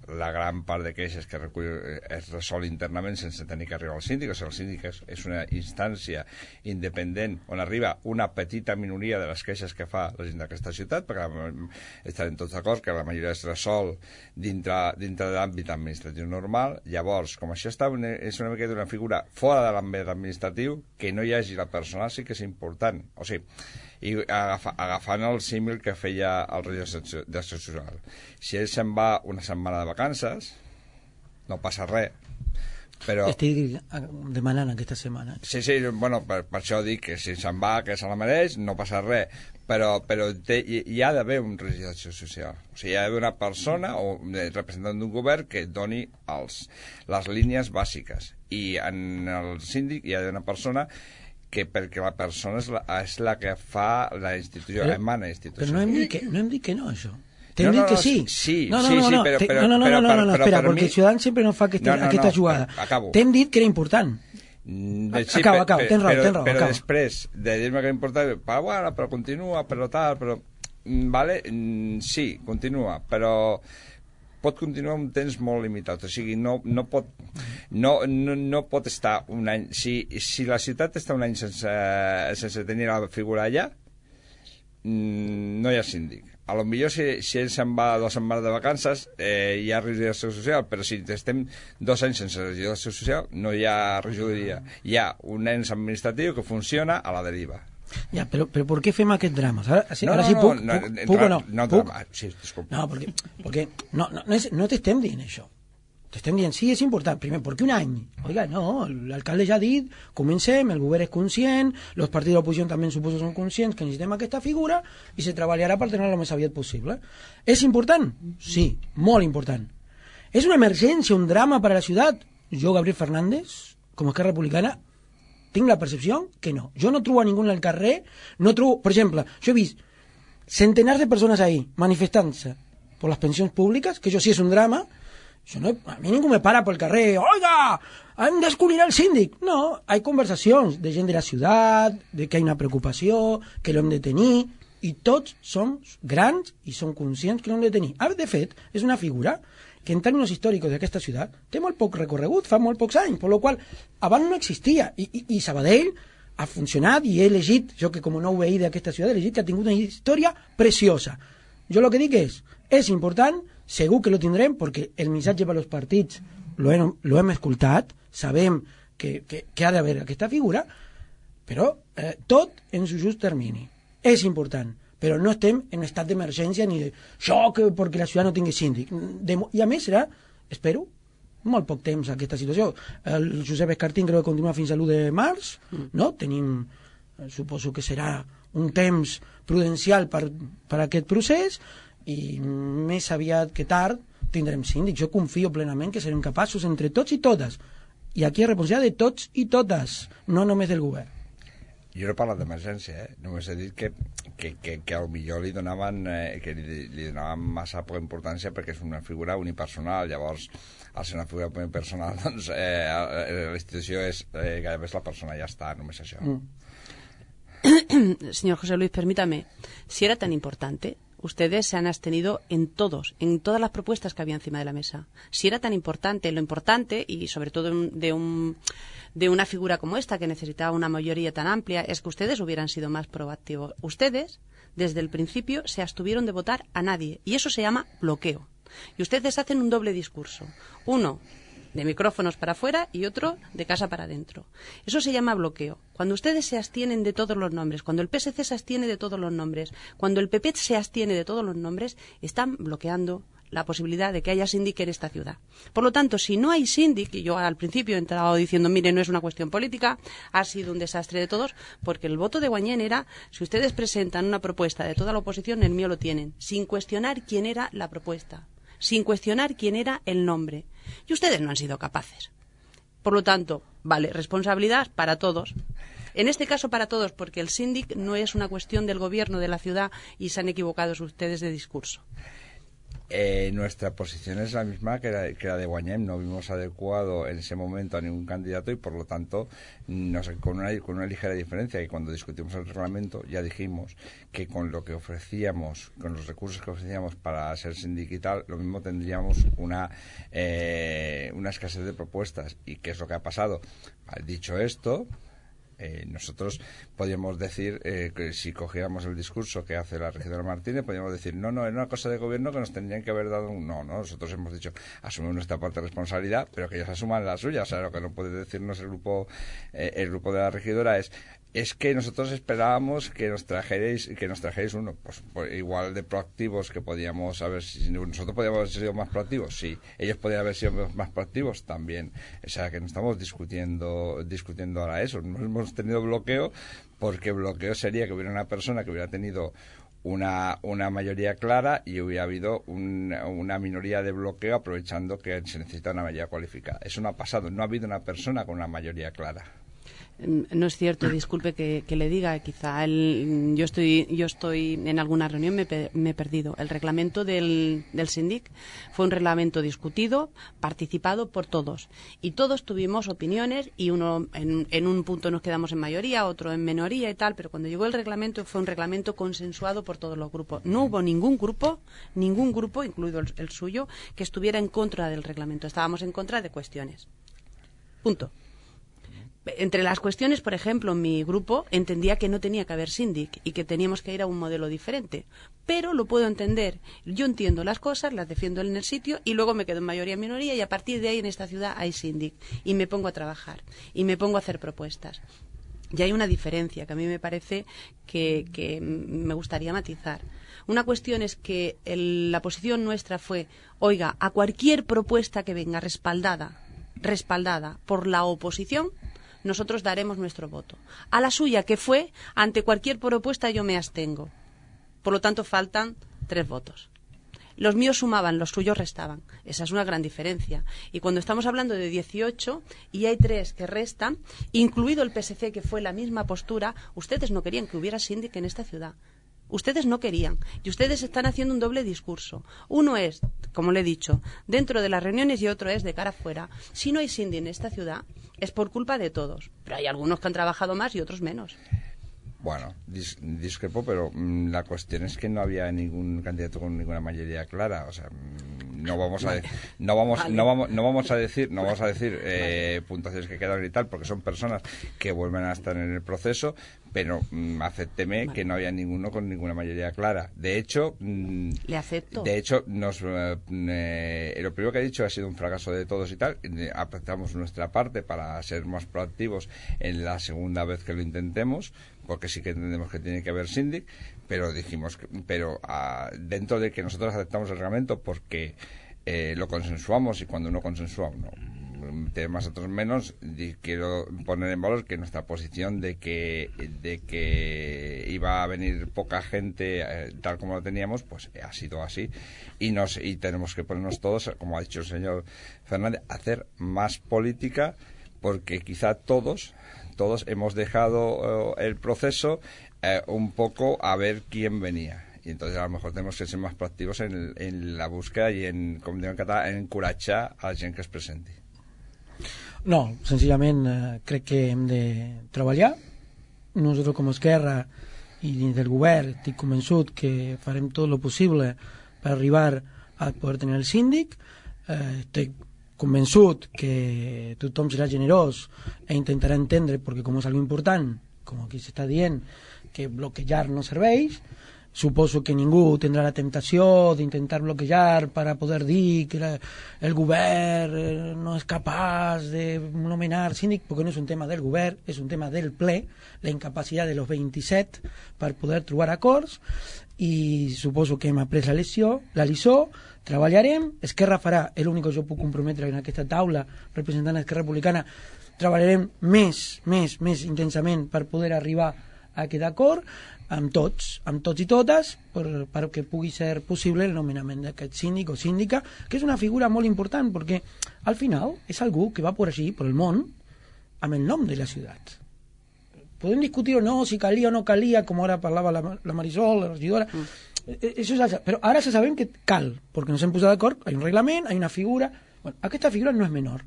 la gran part de queixes que recull es resol internament sense tenir que arribar al síndic. O sigui, el síndic és, és una instància independent on arriba una petita minoria de les queixes que fa la gent d'aquesta ciutat, perquè estarem tots d'acord que la majoria es resol dintre, dintre de l'àmbit administratiu normal. Llavors, com això està una, és una mica d'una figura fora de l'àmbit administratiu, que no hi hagi la persona sí que és important. O sigui, i agafa, agafant el símil que feia el regidor d'Acció Social, si ell se'n va una setmana de vacances no passa res, però... Estic demanant aquesta setmana. Sí, sí, bueno, per, per això dic que si se'n va, que se la mereix, no passa res, però, però té, hi, hi ha d'haver un regidor d'Acció Social, o sigui, hi ha d'haver una persona o un representant d'un govern que doni els, les línies bàsiques, i en el síndic hi ha d'haver una persona que perquè la persona és la, és la que fa la institució, però, emana la institució. Però no hem dit que no, hem dit que no això. T'hem no, dit no, que no, sí. Sí, no, no, sí, no, sí, no, però, te, però, no, no, no, però, no, no, no, però, espera, per perquè mi... els ciutadans sempre no fa aquesta, no, no, aquesta no, jugada. acabo. T'hem dit que era important. Mm, sí, acaba, per, acaba, per, tens raó, però, tens raó, però acaba. després de dir-me que era important, però, bueno, però continua, però tal, però... Vale, sí, continua, però pot continuar un temps molt limitat, o sigui, no, no, pot, no, no, no pot estar un any... Si, si la ciutat està un any sense, sense tenir la figura allà, no hi ha síndic. A lo millor si, si ell se'n va dues setmanes de vacances eh, hi ha regidoria social, però si estem dos anys sense regidoria social no hi ha regidoria. Hi ha un ens administratiu que funciona a la deriva. Ja, però, però per què fem aquest drama? Ara, sí, no, ara no, sí puc, no, puc, no, puc o no? No, puc? drama. Sí, disculpa. No, perquè, perquè no, no, no, és, no t'estem dient això. T'estem dient, sí, és important. Primer, perquè un any? Oiga, no, l'alcalde ja ha dit, comencem, el govern és conscient, els partits de l'oposició també suposo són conscients que necessitem aquesta figura i se treballarà per tenir-la el més aviat possible. És important? Sí, molt important. És una emergència, un drama per a la ciutat? Jo, Gabriel Fernández, com a Esquerra Republicana, tinc la percepció que no. Jo no trobo a ningú al carrer, no trobo... Per exemple, jo he vist centenars de persones ahí manifestant-se per les pensions públiques, que això sí és un drama. Això no, a mi ningú me para pel carrer, oiga, han d'escollir el síndic. No, hi ha conversacions de gent de la ciutat, de que hi ha una preocupació, que l'hem de tenir, i tots som grans i som conscients que l'hem de tenir. Ara, de fet, és una figura que en termes històrics d'aquesta ciutat té molt poc recorregut, fa molt pocs anys, per la qual abans no existia. I, i, i Sabadell ha funcionat i he elegit, jo que com a nou veí d'aquesta ciutat, he elegit que ha tingut una història preciosa. Jo el que dic és, és important, segur que lo tindrem, perquè el missatge per als partits lo hem, lo hem escoltat, sabem que, que, que ha d'haver aquesta figura, però eh, tot en su just termini. És important, però no estem en estat d'emergència ni de xoc perquè la ciutat no tingui síndic. De, I a més serà, espero, molt poc temps aquesta situació. El Josep Escartín creu que continua fins a l'u de març, no? Tenim, suposo que serà un temps prudencial per, per aquest procés i més aviat que tard tindrem síndic. Jo confio plenament que serem capaços entre tots i totes. I aquí és responsabilitat de tots i totes, no només del govern. Jo no he parlat d'emergència, eh? Només he dit que, que, que, que potser li donaven, eh, que li, li donaven massa poca importància perquè és una figura unipersonal. Llavors, al ser una figura unipersonal, doncs eh, la institució és eh, gairebé és la persona, ja està, només això. Mm. Señor José Luis, permítame, si era tan importante, ustedes se han abstenido en todos, en todas las propuestas que había encima de la mesa. Si era tan importante, lo importante, y sobre todo de un... de una figura como esta, que necesitaba una mayoría tan amplia, es que ustedes hubieran sido más proactivos. Ustedes, desde el principio, se abstuvieron de votar a nadie, y eso se llama bloqueo. Y ustedes hacen un doble discurso. Uno de micrófonos para afuera y otro de casa para adentro. Eso se llama bloqueo. Cuando ustedes se abstienen de todos los nombres, cuando el P S C se abstiene de todos los nombres, cuando el P P se abstiene de todos los nombres, están bloqueando la posibilidad de que haya síndic en esta ciudad. Por lo tanto, si no hay síndic, y yo al principio he entrado diciendo, mire, no es una cuestión política, ha sido un desastre de todos, porque el voto de Guañén era, si ustedes presentan una propuesta de toda la oposición, el mío lo tienen, sin cuestionar quién era la propuesta, sin cuestionar quién era el nombre. Y ustedes no han sido capaces. Por lo tanto, vale, responsabilidad para todos. En este caso para todos, porque el síndic no es una cuestión del gobierno de la ciudad y se han equivocado ustedes de discurso. Eh, nuestra posición es la misma que la, que la de Guañén. No vimos adecuado en ese momento a ningún candidato y por lo tanto nos, con, una, con una ligera diferencia, que cuando discutimos el reglamento ya dijimos que con lo que ofrecíamos, con los recursos que ofrecíamos para ser síndic y tal, lo mismo tendríamos una, eh, una escasez de propuestas. ¿Y qué es lo que ha pasado? Dicho esto, Eh, nosotros podríamos decir eh, que si cogiéramos el discurso que hace la regidora Martínez, podríamos decir, no, no, era una cosa de gobierno que nos tendrían que haber dado un... No, no, nosotros hemos dicho, asumimos nuestra parte de responsabilidad, pero que ellos asuman la suya. O sea, lo que no puede decirnos el grupo eh, el grupo de la regidora es es que nosotros esperábamos que nos trajerais que nos trajerais uno, pues, pues igual de proactivos que podíamos haber sido. Nosotros podíamos haber sido más proactivos, sí. Ellos podían haber sido más proactivos también. O sea, que no estamos discutiendo discutiendo ahora eso. No hemos tenido bloqueo, porque bloqueo sería que hubiera una persona que hubiera tenido una, una mayoría clara y hubiera habido un, una minoría de bloqueo aprovechando que se necesita una mayoría cualificada. Eso no ha pasado. No ha habido una persona con una mayoría clara. No es cierto, disculpe que, que le diga, quizá el, yo estoy yo estoy en alguna reunión, me, me he perdido. El reglamento del, del síndic fue un reglamento discutido, participado por todos. Y todos tuvimos opiniones y uno en, en un punto nos quedamos en mayoría, otro en minoría y tal, pero cuando llegó el reglamento fue un reglamento consensuado por todos los grupos. No hubo ningún grupo, ningún grupo, incluido el, el suyo, que estuviera en contra del reglamento. Estábamos en contra de cuestiones. Punto. Entre las cuestiones, por ejemplo, mi grupo entendía que no tenía que haber síndic y que teníamos que ir a un modelo diferente. Pero lo puedo entender. Yo entiendo las cosas, las defiendo en el sitio y luego me quedo en mayoría minoría y a partir de ahí en esta ciudad hay síndic. Y me pongo a trabajar y me pongo a hacer propuestas. Y hay una diferencia que a mí me parece que, que me gustaría matizar. Una cuestión es que el, la posición nuestra fue, oiga, a cualquier propuesta que venga respaldada, respaldada por la oposición, nosotros daremos nuestro voto. A la suya, que fue, ante cualquier propuesta yo me abstengo. Por lo tanto, faltan tres votos. Los míos sumaban, los suyos restaban. Esa es una gran diferencia. Y cuando estamos hablando de dieciocho y hay tres que restan, incluido el P S C, que fue la misma postura, ustedes no querían que hubiera síndic en esta ciudad. Ustedes no querían. Y ustedes están haciendo un doble discurso. Uno es, como le he dicho, dentro de las reuniones y otro es de cara afuera. Si no hay síndic en esta ciudad, es por culpa de todos. Pero hay algunos que han trabajado más y otros menos. Bueno, dis discrepo, pero mmm, la cuestión es que no había ningún candidato con ninguna mayoría clara. O sea, mmm, no vamos a no vamos vale. no vamos no vamos a decir no vamos a decir eh, puntuaciones que quedan y tal, porque son personas que vuelven a estar en el proceso. Pero mmm, acépteme vale. que no había ninguno con ninguna mayoría clara. De hecho, mmm, le acepto. De hecho, nos eh, eh, lo primero que ha dicho ha sido un fracaso de todos y tal. Eh, apretamos nuestra parte para ser más proactivos en la segunda vez que lo intentemos, porque sí que entendemos que tiene que haber síndic, pero dijimos, que, pero uh, dentro de que nosotros aceptamos el reglamento porque eh, lo consensuamos y cuando uno consensúa uno tiene más otros menos, y quiero poner en valor que nuestra posición de que de que iba a venir poca gente eh, tal como lo teníamos, pues ha sido así y nos y tenemos que ponernos todos, como ha dicho el señor Fernández, a hacer más política, porque quizá todos todos hemos dejado uh, el proceso uh, un poco a ver quién venía. Y entonces a lo mejor tenemos que ser más proactivos en, en la búsqueda y en, com diuen en català, en encoratjar a la gent que es presenti. No, senzillament eh, crec que hem de treballar. Nosaltres com a Esquerra i dins del govern estic convençut que farem tot el possible per arribar a poder tenir el síndic. Eh, estic convençut que tothom serà generós e intentarà entendre, perquè com és algo important, com aquí s'està dient, que bloquejar no serveix. Suposo que ningú tindrà la temptació d'intentar bloquejar per a poder dir que la, el govern no és capaç de nomenar síndic, perquè no és un tema del govern, és un tema del ple, la incapacitat de los vint-i-set per poder trobar acords, i suposo que hem après la leçó, la lliçó, treballarem, Esquerra farà, és l'únic que jo puc comprometre en aquesta taula representant d'Esquerra Republicana, treballarem més, més, més intensament per poder arribar a aquest acord, amb tots, amb tots i totes, per, perquè pugui ser possible el nomenament d'aquest síndic o síndica, que és una figura molt important, perquè al final és algú que va por així, per el món, amb el nom de la ciutat. Podem discutir o no, si calia o no calia, com ara parlava la, la Marisol, la regidora, mm. eso és altre. Però ara ja sabem que cal, perquè ens hem posat d'acord, hi ha un reglament, hi ha una figura. Bueno, aquesta figura no és menor.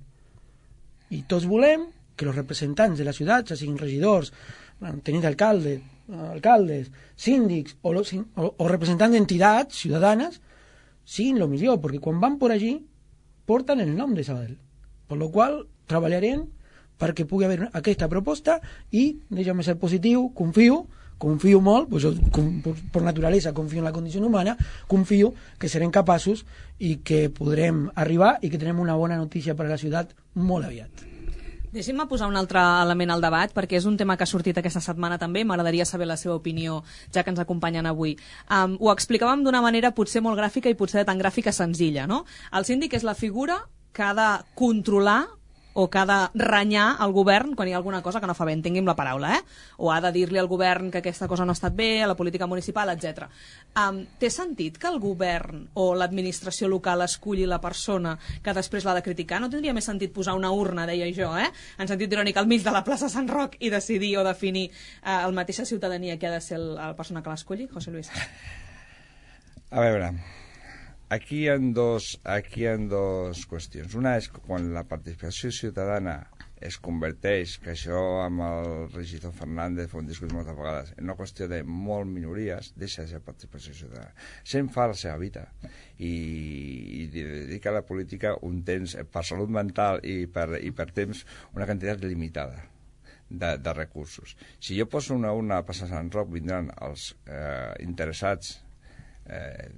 I tots volem que els representants de la ciutat, ja siguin regidors, tenint alcalde, alcaldes, síndics o, los, o, o representants d'entitats ciutadanes siguin el millor, perquè quan van per allí porten el nom de Sabadell, per lo qual treballarem perquè pugui haver aquesta proposta i, deixa'm ser positiu, confio confio molt, pues jo, com, per, per naturalesa confio en la condició humana, confio que serem capaços i que podrem arribar i que tenem una bona notícia per a la ciutat molt aviat. Deixi'm posar un altre element al debat, perquè és un tema que ha sortit aquesta setmana també, m'agradaria saber la seva opinió, ja que ens acompanyen avui. Um, ho explicàvem d'una manera potser molt gràfica i potser de tan gràfica senzilla, no? El síndic és la figura que ha de controlar o que ha de renyar el govern quan hi ha alguna cosa que no fa bé, entengui'm la paraula, eh? O ha de dir-li al govern que aquesta cosa no ha estat bé, a la política municipal, etcètera. Um, té sentit que el govern o l'administració local esculli la persona que després l'ha de criticar? No tindria més sentit posar una urna, deia jo, eh? En sentit irònic, al mig de la plaça Sant Roc i decidir o definir uh, el mateixa ciutadania que ha de ser el, la persona que l'esculli? José Luis. A veure, aquí hi ha dos, aquí hi ha dos qüestions. Una és quan la participació ciutadana es converteix, que això amb el regidor Fernández fa un discurs moltes vegades, en una qüestió de molt minories, deixa de ser participació ciutadana. Se'n fa la seva vida i, i dedica a la política un temps, per salut mental i per, i per temps, una quantitat limitada de, de recursos. Si jo poso una urna a passar Sant Roc, vindran els eh, interessats eh,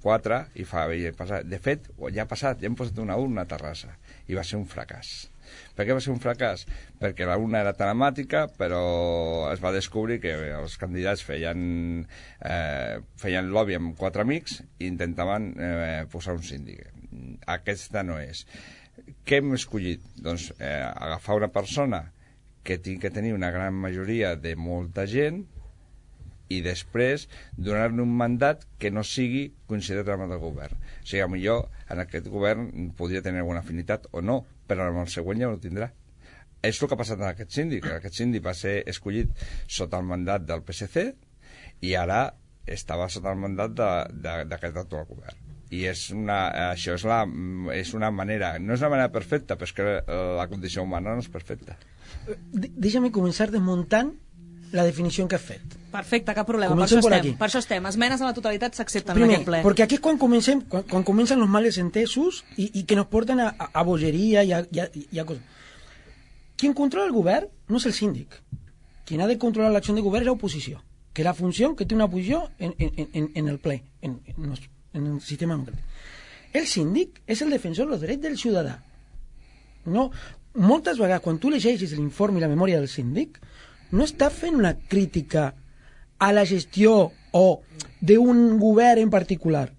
quatre i fa i passar. De fet, ja ha passat, ja hem posat una urna a Terrassa i va ser un fracàs. Per què va ser un fracàs? Perquè la urna era telemàtica, però es va descobrir que els candidats feien, eh, feien lobby amb quatre amics i intentaven eh, posar un síndic. Aquesta no és. Què hem escollit? Doncs eh, agafar una persona que tingui que tenir una gran majoria de molta gent i després donar-li un mandat que no sigui considerat amb el govern. O sigui, potser en aquest govern podria tenir alguna afinitat o no, però en el següent ja no tindrà. És el que ha passat amb aquest síndic. Aquest síndic va ser escollit sota el mandat del P S C i ara estava sota el mandat d'aquest actual govern. I és una, això és, la, és una manera, no és una manera perfecta, però és que la condició humana no és perfecta. Deixa'm començar desmuntant la definició que has fet. Perfecte, cap problema, per això, estem, per això estem. Esmenes a la totalitat s'accepten en aquest ple. Perquè aquí és quan comencem, quan, quan comencen els males entesos i, i que nos porten a, a, a bogeria i a, i, a, i a coses. Quien controla el govern no és el síndic. Quien ha de controlar l'acció de govern és l'oposició, que és la funció que té una oposició en, en, en, en el ple, en, en, los, en el sistema democràtic. El síndic és el defensor dels drets del ciutadà. No, moltes vegades, quan tu llegeixes l'informe i la memòria del síndic, no està fent una crítica a la gestió o d'un govern en particular.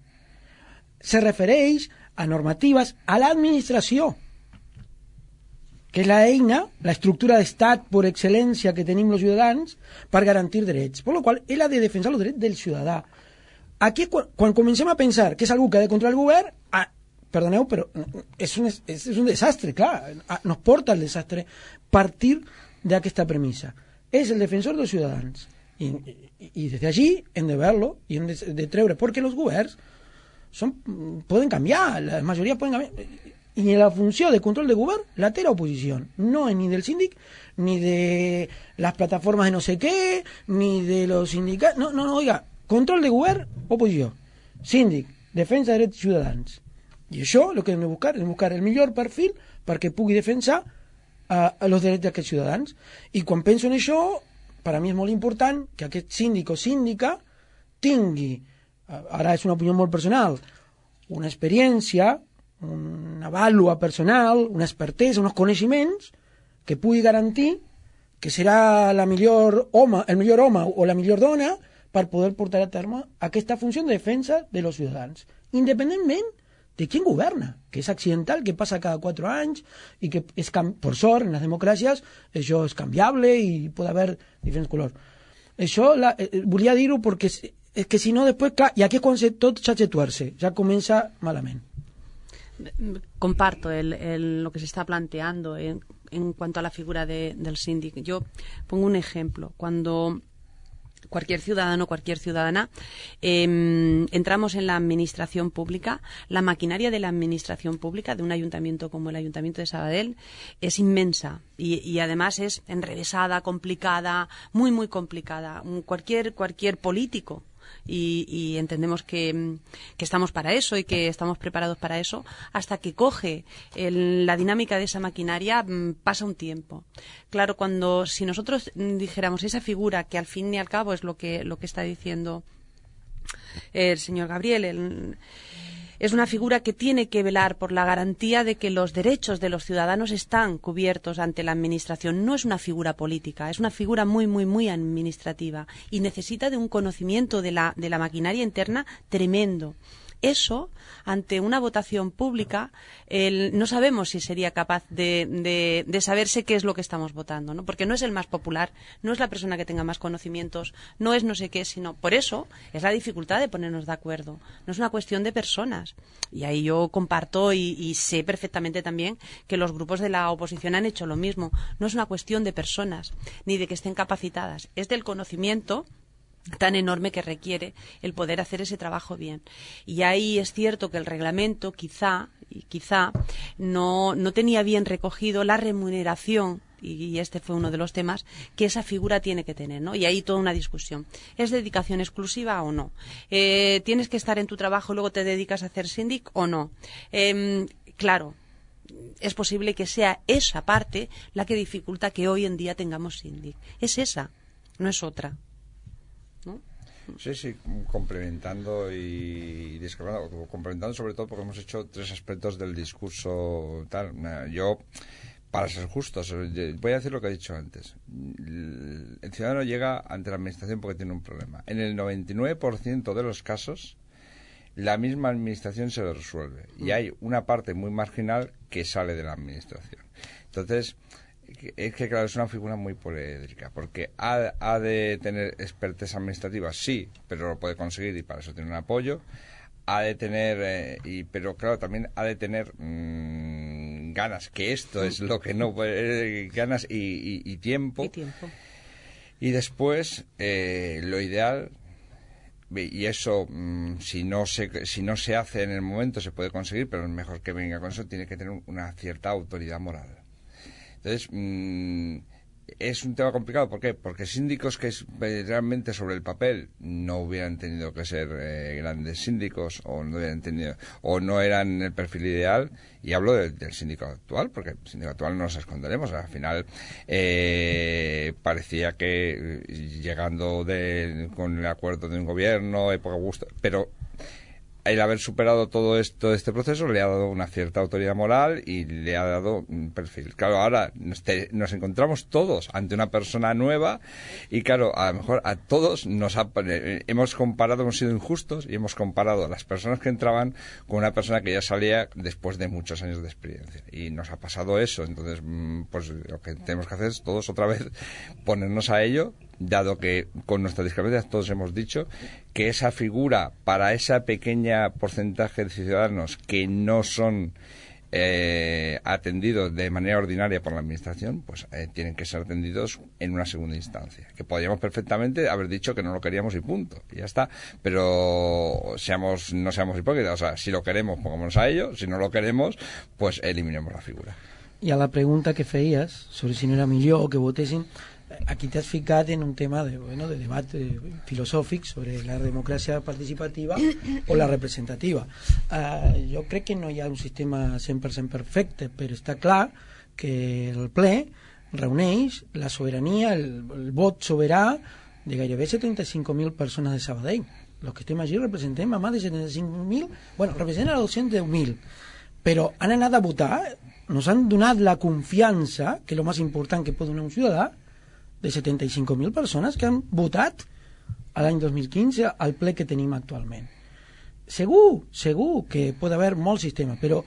Se refereix a normatives a l'administració, que és l'eina, l'estructura d'estat per excel·lència que tenim els ciutadans per garantir drets. Per la qual ell ha de defensar els drets del ciutadà. Aquí, quan, quan comencem a pensar que és algú que ha de controlar el govern, ah, perdoneu, però és un, és, és un desastre, clar, nos porta al desastre partir d'aquesta premissa. És el defensor dels ciutadans i, i, i des d'allí hem de verlo i hem de, de treure, perquè els governs són, poden canviar, la majoria poden canviar i la funció de control de govern la té l'oposició, no ni del síndic ni de les plataformes de no sé què, ni de los sindicats, no, no, no, oiga, control de govern, oposició, síndic, defensa de drets ciutadans, i això el que hem de buscar és buscar el millor perfil perquè pugui defensar a els drets d'aquests ciutadans. I quan penso en això, per a mi és molt important que aquest síndic o síndica tingui, ara és una opinió molt personal, una experiència, una vàlua personal, una expertesa, uns coneixements que pugui garantir que serà la millor home, el millor home o la millor dona per poder portar a terme aquesta funció de defensa de los ciutadans, independentment de quién governa, que és accidental, que passa cada quatre anys i que, és per sort, en les democràcies, això és canviable i pot haver diferents colors. Això la, eh, volia dir-ho perquè és, és que si no, després, clar, i aquí és quan se, tot s'ha de tuerce, ja comença malament. Comparto el, el, lo que se está planteando en, en cuanto a la figura de, del síndic. Yo pongo un ejemplo. Cuando cualquier ciudadano, cualquier ciudadana, eh, entramos en la administración pública, la maquinaria de la administración pública de un ayuntamiento como el Ayuntamiento de Sabadell es inmensa y, y además es enrevesada, complicada, muy, muy complicada. Cualquier, cualquier político, y, y entendemos que, que estamos para eso y que estamos preparados para eso, hasta que coge el, la dinámica de esa maquinaria pasa un tiempo. Claro, cuando si nosotros dijéramos esa figura que al fin y al cabo es lo que, lo que está diciendo el señor Gabriel, el, es una figura que tiene que velar por la garantía de que los derechos de los ciudadanos están cubiertos ante la administración. No es una figura política, es una figura muy, muy, muy administrativa y necesita de un conocimiento de la, de la maquinaria interna tremendo. eso, ante una votación pública, el, no sabemos si sería capaz de, de, de saberse qué es lo que estamos votando, ¿no? Porque no es el más popular, no es la persona que tenga más conocimientos, no es no sé qué, sino por eso es la dificultad de ponernos de acuerdo. No es una cuestión de personas. Y ahí yo comparto y, y sé perfectamente también que los grupos de la oposición han hecho lo mismo. No es una cuestión de personas, ni de que estén capacitadas, es del conocimiento tan enorme que requiere el poder hacer ese trabajo bien. Y ahí es cierto que el reglamento quizá, y quizá no, no tenía bien recogido la remuneración, y este fue uno de los temas que esa figura tiene que tener, ¿no? Y ahí toda una discusión. ¿Es dedicación exclusiva o no? Eh, ¿Tienes que estar en tu trabajo y luego te dedicas a hacer síndic o no? Eh, claro, es posible que sea esa parte la que dificulta que hoy en día tengamos síndic. Es esa, no es otra, ¿no? Sí, sí, complementando y discrepando, complementando sobre todo porque hemos hecho tres aspectos del discurso tal. Yo, para ser justos, voy a decir lo que he dicho antes. El ciudadano llega ante la administración porque tiene un problema. En el noventa y nueve por ciento de los casos, la misma administración se lo resuelve. Y hay una parte muy marginal que sale de la administración. Entonces, es que claro, es una figura muy poliédrica, porque ha, ha de tener expertise administrativa, sí, pero lo puede conseguir y para eso tiene un apoyo. Ha de tener, eh, y, pero claro, también ha de tener mmm, ganas, que esto es lo que no puede, eh, ganas y, y, y tiempo. Y tiempo. Y después, eh, lo ideal, y eso, mmm, si no se si no se hace en el momento, se puede conseguir, pero es mejor que venga con eso, tiene que tener una cierta autoridad moral. Entonces, mmm, es un tema complicado. ¿Por qué? Porque síndicos que es, realmente sobre el papel no hubieran tenido que ser eh, grandes síndicos o no hubieran tenido, o no eran el perfil ideal, y hablo de, del síndico actual, porque el síndico actual no nos esconderemos. Al final eh, parecía que llegando de, con el acuerdo de un gobierno, época gusto, pero el haber superado todo esto, este proceso le ha dado una cierta autoridad moral y le ha dado un perfil. Claro, ahora nos, te, nos encontramos todos ante una persona nueva y claro, a lo mejor a todos nos ha, eh, hemos comparado, hemos sido injustos y hemos comparado a las personas que entraban con una persona que ya salía después de muchos años de experiencia. Y nos ha pasado eso. Entonces, pues lo que tenemos que hacer es todos otra vez ponernos a ello, dado que con nuestras discrepancias todos hemos dicho que esa figura para ese pequeño porcentaje de ciudadanos que no son eh, atendidos de manera ordinaria por la administración, pues eh, tienen que ser atendidos en una segunda instancia, que podríamos perfectamente haber dicho que no lo queríamos y punto, y ya está. Pero seamos no seamos hipócritas, o sea, si lo queremos pongámonos a ello, si no lo queremos pues eliminemos la figura. I a la pregunta que feies sobre si no era millor que votessin, aquí t'has ficat en un tema de, bueno, de debat eh, filosòfic sobre la democràcia participativa o la representativa. Uh, jo crec que no hi ha un sistema cent per cent perfecte, però està clar que el ple reuneix la sobirania, el, el vot soberà de gairebé setanta-cinc mil persones de Sabadell. Els que estem allí representem a més de setanta-cinc mil, bueno, representen a dos-cents deu mil, però han anat a votar, nos han donat la confiança, que és el més important que pot donar un ciutadà, de setanta-cinc mil persones que han votat a l'any dos mil quinze al ple que tenim actualment. Segur, segur que pot haver molts sistemes, però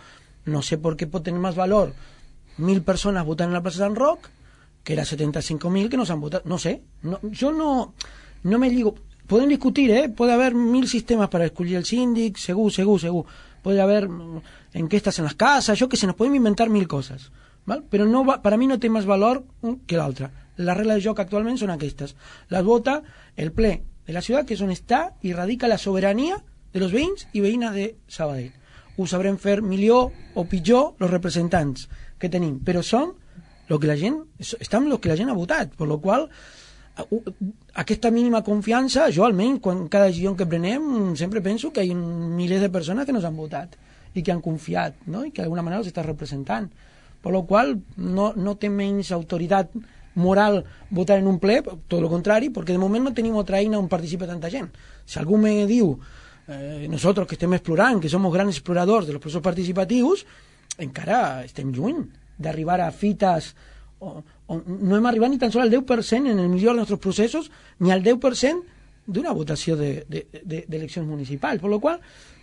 no sé per què pot tenir més valor mil persones votant en la plaça Sant Roc que era setenta-cinc mil que no s'han votat. No sé, no, jo no, no me lligo. Podem discutir, eh? Puede haber mil sistemas para escollir el síndic, segur, segur, segur. Puede haber enquestas en las casas, yo que se nos pueden inventar mil cosas, ¿vale? Pero no va, para mí no té més valor que l'altra. Les regles de joc actualment són aquestes. Les vota el ple de la ciutat, que és on està i radica la sobirania de los veïns i veïnes de Sabadell. Ho sabrem fer millor o pitjor els representants que tenim, però són lo que la gent, estan los que la gent ha votat, per lo qual aquesta mínima confiança, jo almenys quan cada decisió que prenem sempre penso que hi ha milers de persones que nos han votat i que han confiat, no? I que d'alguna manera els està representant, per lo qual no, no té menys autoritat moral votar en un ple, tot el contrari, perquè de moment no tenim otra eina on participa tanta gent. Si algú me diu eh, nosotros que estem explorant, que som grans exploradors de los processos participatius, encara estem lluny d'arribar a fites on, on no hem arribat ni tan sols al deu per cent en el millor dels nostres processos, ni al deu per cent d'una votació d'eleccions municipals, per la qual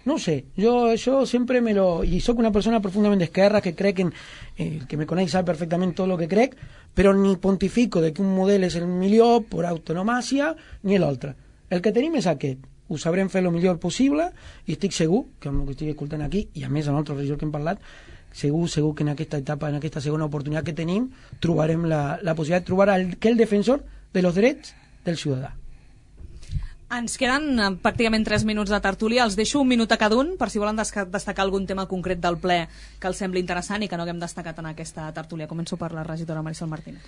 no sé, jo això sempre me lo... I sóc una persona profundament d'esquerra que crec en... El que me coneix sap perfectament tot el que crec, però ni pontifico de que un model és el millor per autonomàcia ni l'altre. El que tenim és aquest. Ho sabrem fer el millor possible i estic segur, que amb el que estic escoltant aquí, i a més en altres regions que hem parlat, segur, segur que en aquesta etapa, en aquesta segona oportunitat que tenim, trobarem la, la possibilitat de trobar aquell defensor de los drets del ciutadà. Ens queden eh, pràcticament tres minuts de tertúlia. Els deixo un minut a cada un per si volen destacar algun tema concret del ple que els sembli interessant i que no haguem destacat en aquesta tertúlia. Començo per la regidora Marisol Martínez.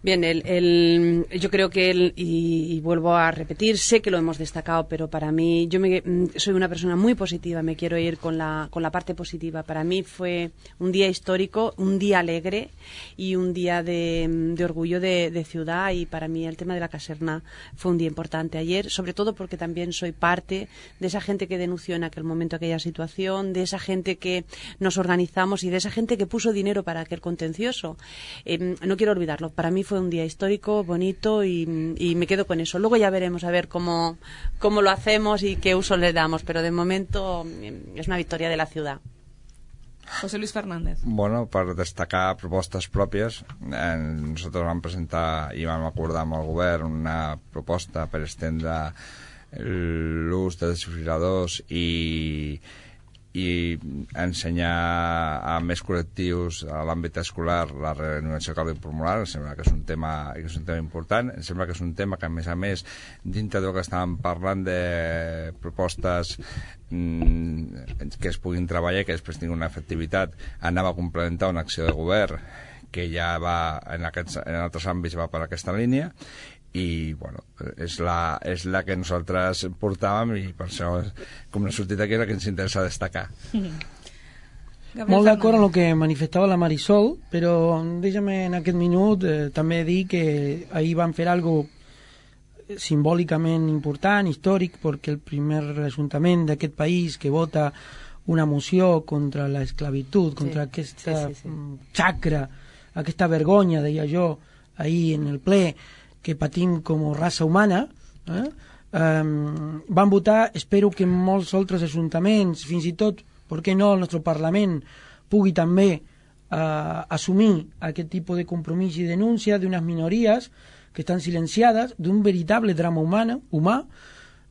Bien, el, el, yo creo que, el, y, y vuelvo a repetir, sé que lo hemos destacado, pero para mí, yo me, soy una persona muy positiva, me quiero ir con la, con la parte positiva. Para mí fue un día histórico, un día alegre y un día de, de orgullo de, de ciudad, y para mí el tema de la caserna fue un día importante ayer, sobre todo porque también soy parte de esa gente que denunció en aquel momento aquella situación, de esa gente que nos organizamos y de esa gente que puso dinero para aquel contencioso. Eh, no quiero olvidarlo, para mí fue un día histórico, bonito, y, y me quedo con eso. Luego ya veremos a ver cómo, cómo lo hacemos y qué uso le damos, pero de momento es una victoria de la ciudad. José Luis Fernández. Bueno, per destacar propostes pròpies, eh, nosaltres vam presentar i vam acordar amb el govern una proposta per estendre l'ús de desfibriladors i i ensenyar a més col·lectius a l'àmbit escolar la reanimació cardiopulmonar. Em sembla que és un tema que és un tema important, em sembla que és un tema que a més a més dintre del que estàvem parlant de propostes mmm, que es puguin treballar i que després tinguin una efectivitat, anava a complementar una acció de govern que ja va en, aquests, en altres àmbits va per aquesta línia, i bueno, és la, és la que nosaltres portàvem i per això, com no ha sortit aquí, és la que ens interessa destacar. Mm-hmm. Molt d'acord amb el que manifestava la Marisol, però deixa'm en aquest minut eh, també dir que ahir van fer algo simbòlicament important, històric, perquè el primer ajuntament d'aquest país que vota una moció contra l'esclavitud, contra sí, aquesta sí, sí, sí. xacra, aquesta vergonya, deia jo, ahir en el ple, que patim com a raça humana, eh? um, van votar, espero que molts altres ajuntaments, fins i tot, per què no, el nostre Parlament pugui també uh, assumir aquest tipus de compromís i denúncia d'unes minories que estan silenciades, d'un veritable drama humana, humà.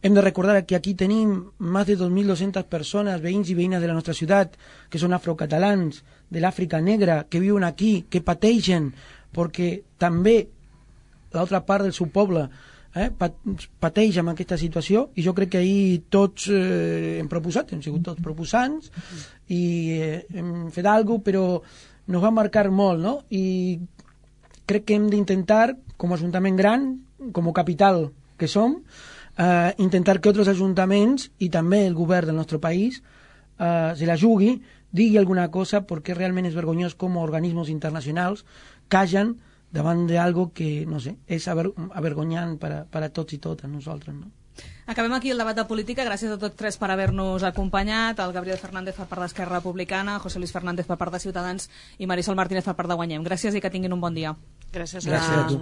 Hem de recordar que aquí tenim més de dos mil dos-centes persones, veïns i veïnes de la nostra ciutat, que són afrocatalans, de l'Àfrica negra, que viuen aquí, que pateixen, perquè també l'altra part del seu poble eh, pateix amb aquesta situació, i jo crec que ahir tots eh, hem proposat, hem sigut tots proposants i eh, hem fet alguna cosa, però nos va marcar molt, no? I crec que hem d'intentar, com a ajuntament gran, com a capital que som, eh, intentar que altres ajuntaments i també el govern del nostre país eh, se la jugui, digui alguna cosa, perquè realment és vergonyós com a organismes internacionals callen davant d'algo que, no sé, és aver avergonyant per a, per a tots i totes nosaltres, no? Acabem aquí el debat de política. Gràcies a tots tres per haver-nos acompanyat. El Gabriel Fernández per part d'Esquerra Republicana, José Luis Fernández per part de Ciutadans i Marisol Martínez per part de Guanyem. Gràcies i que tinguin un bon dia. Gràcies, Gràcies a tu.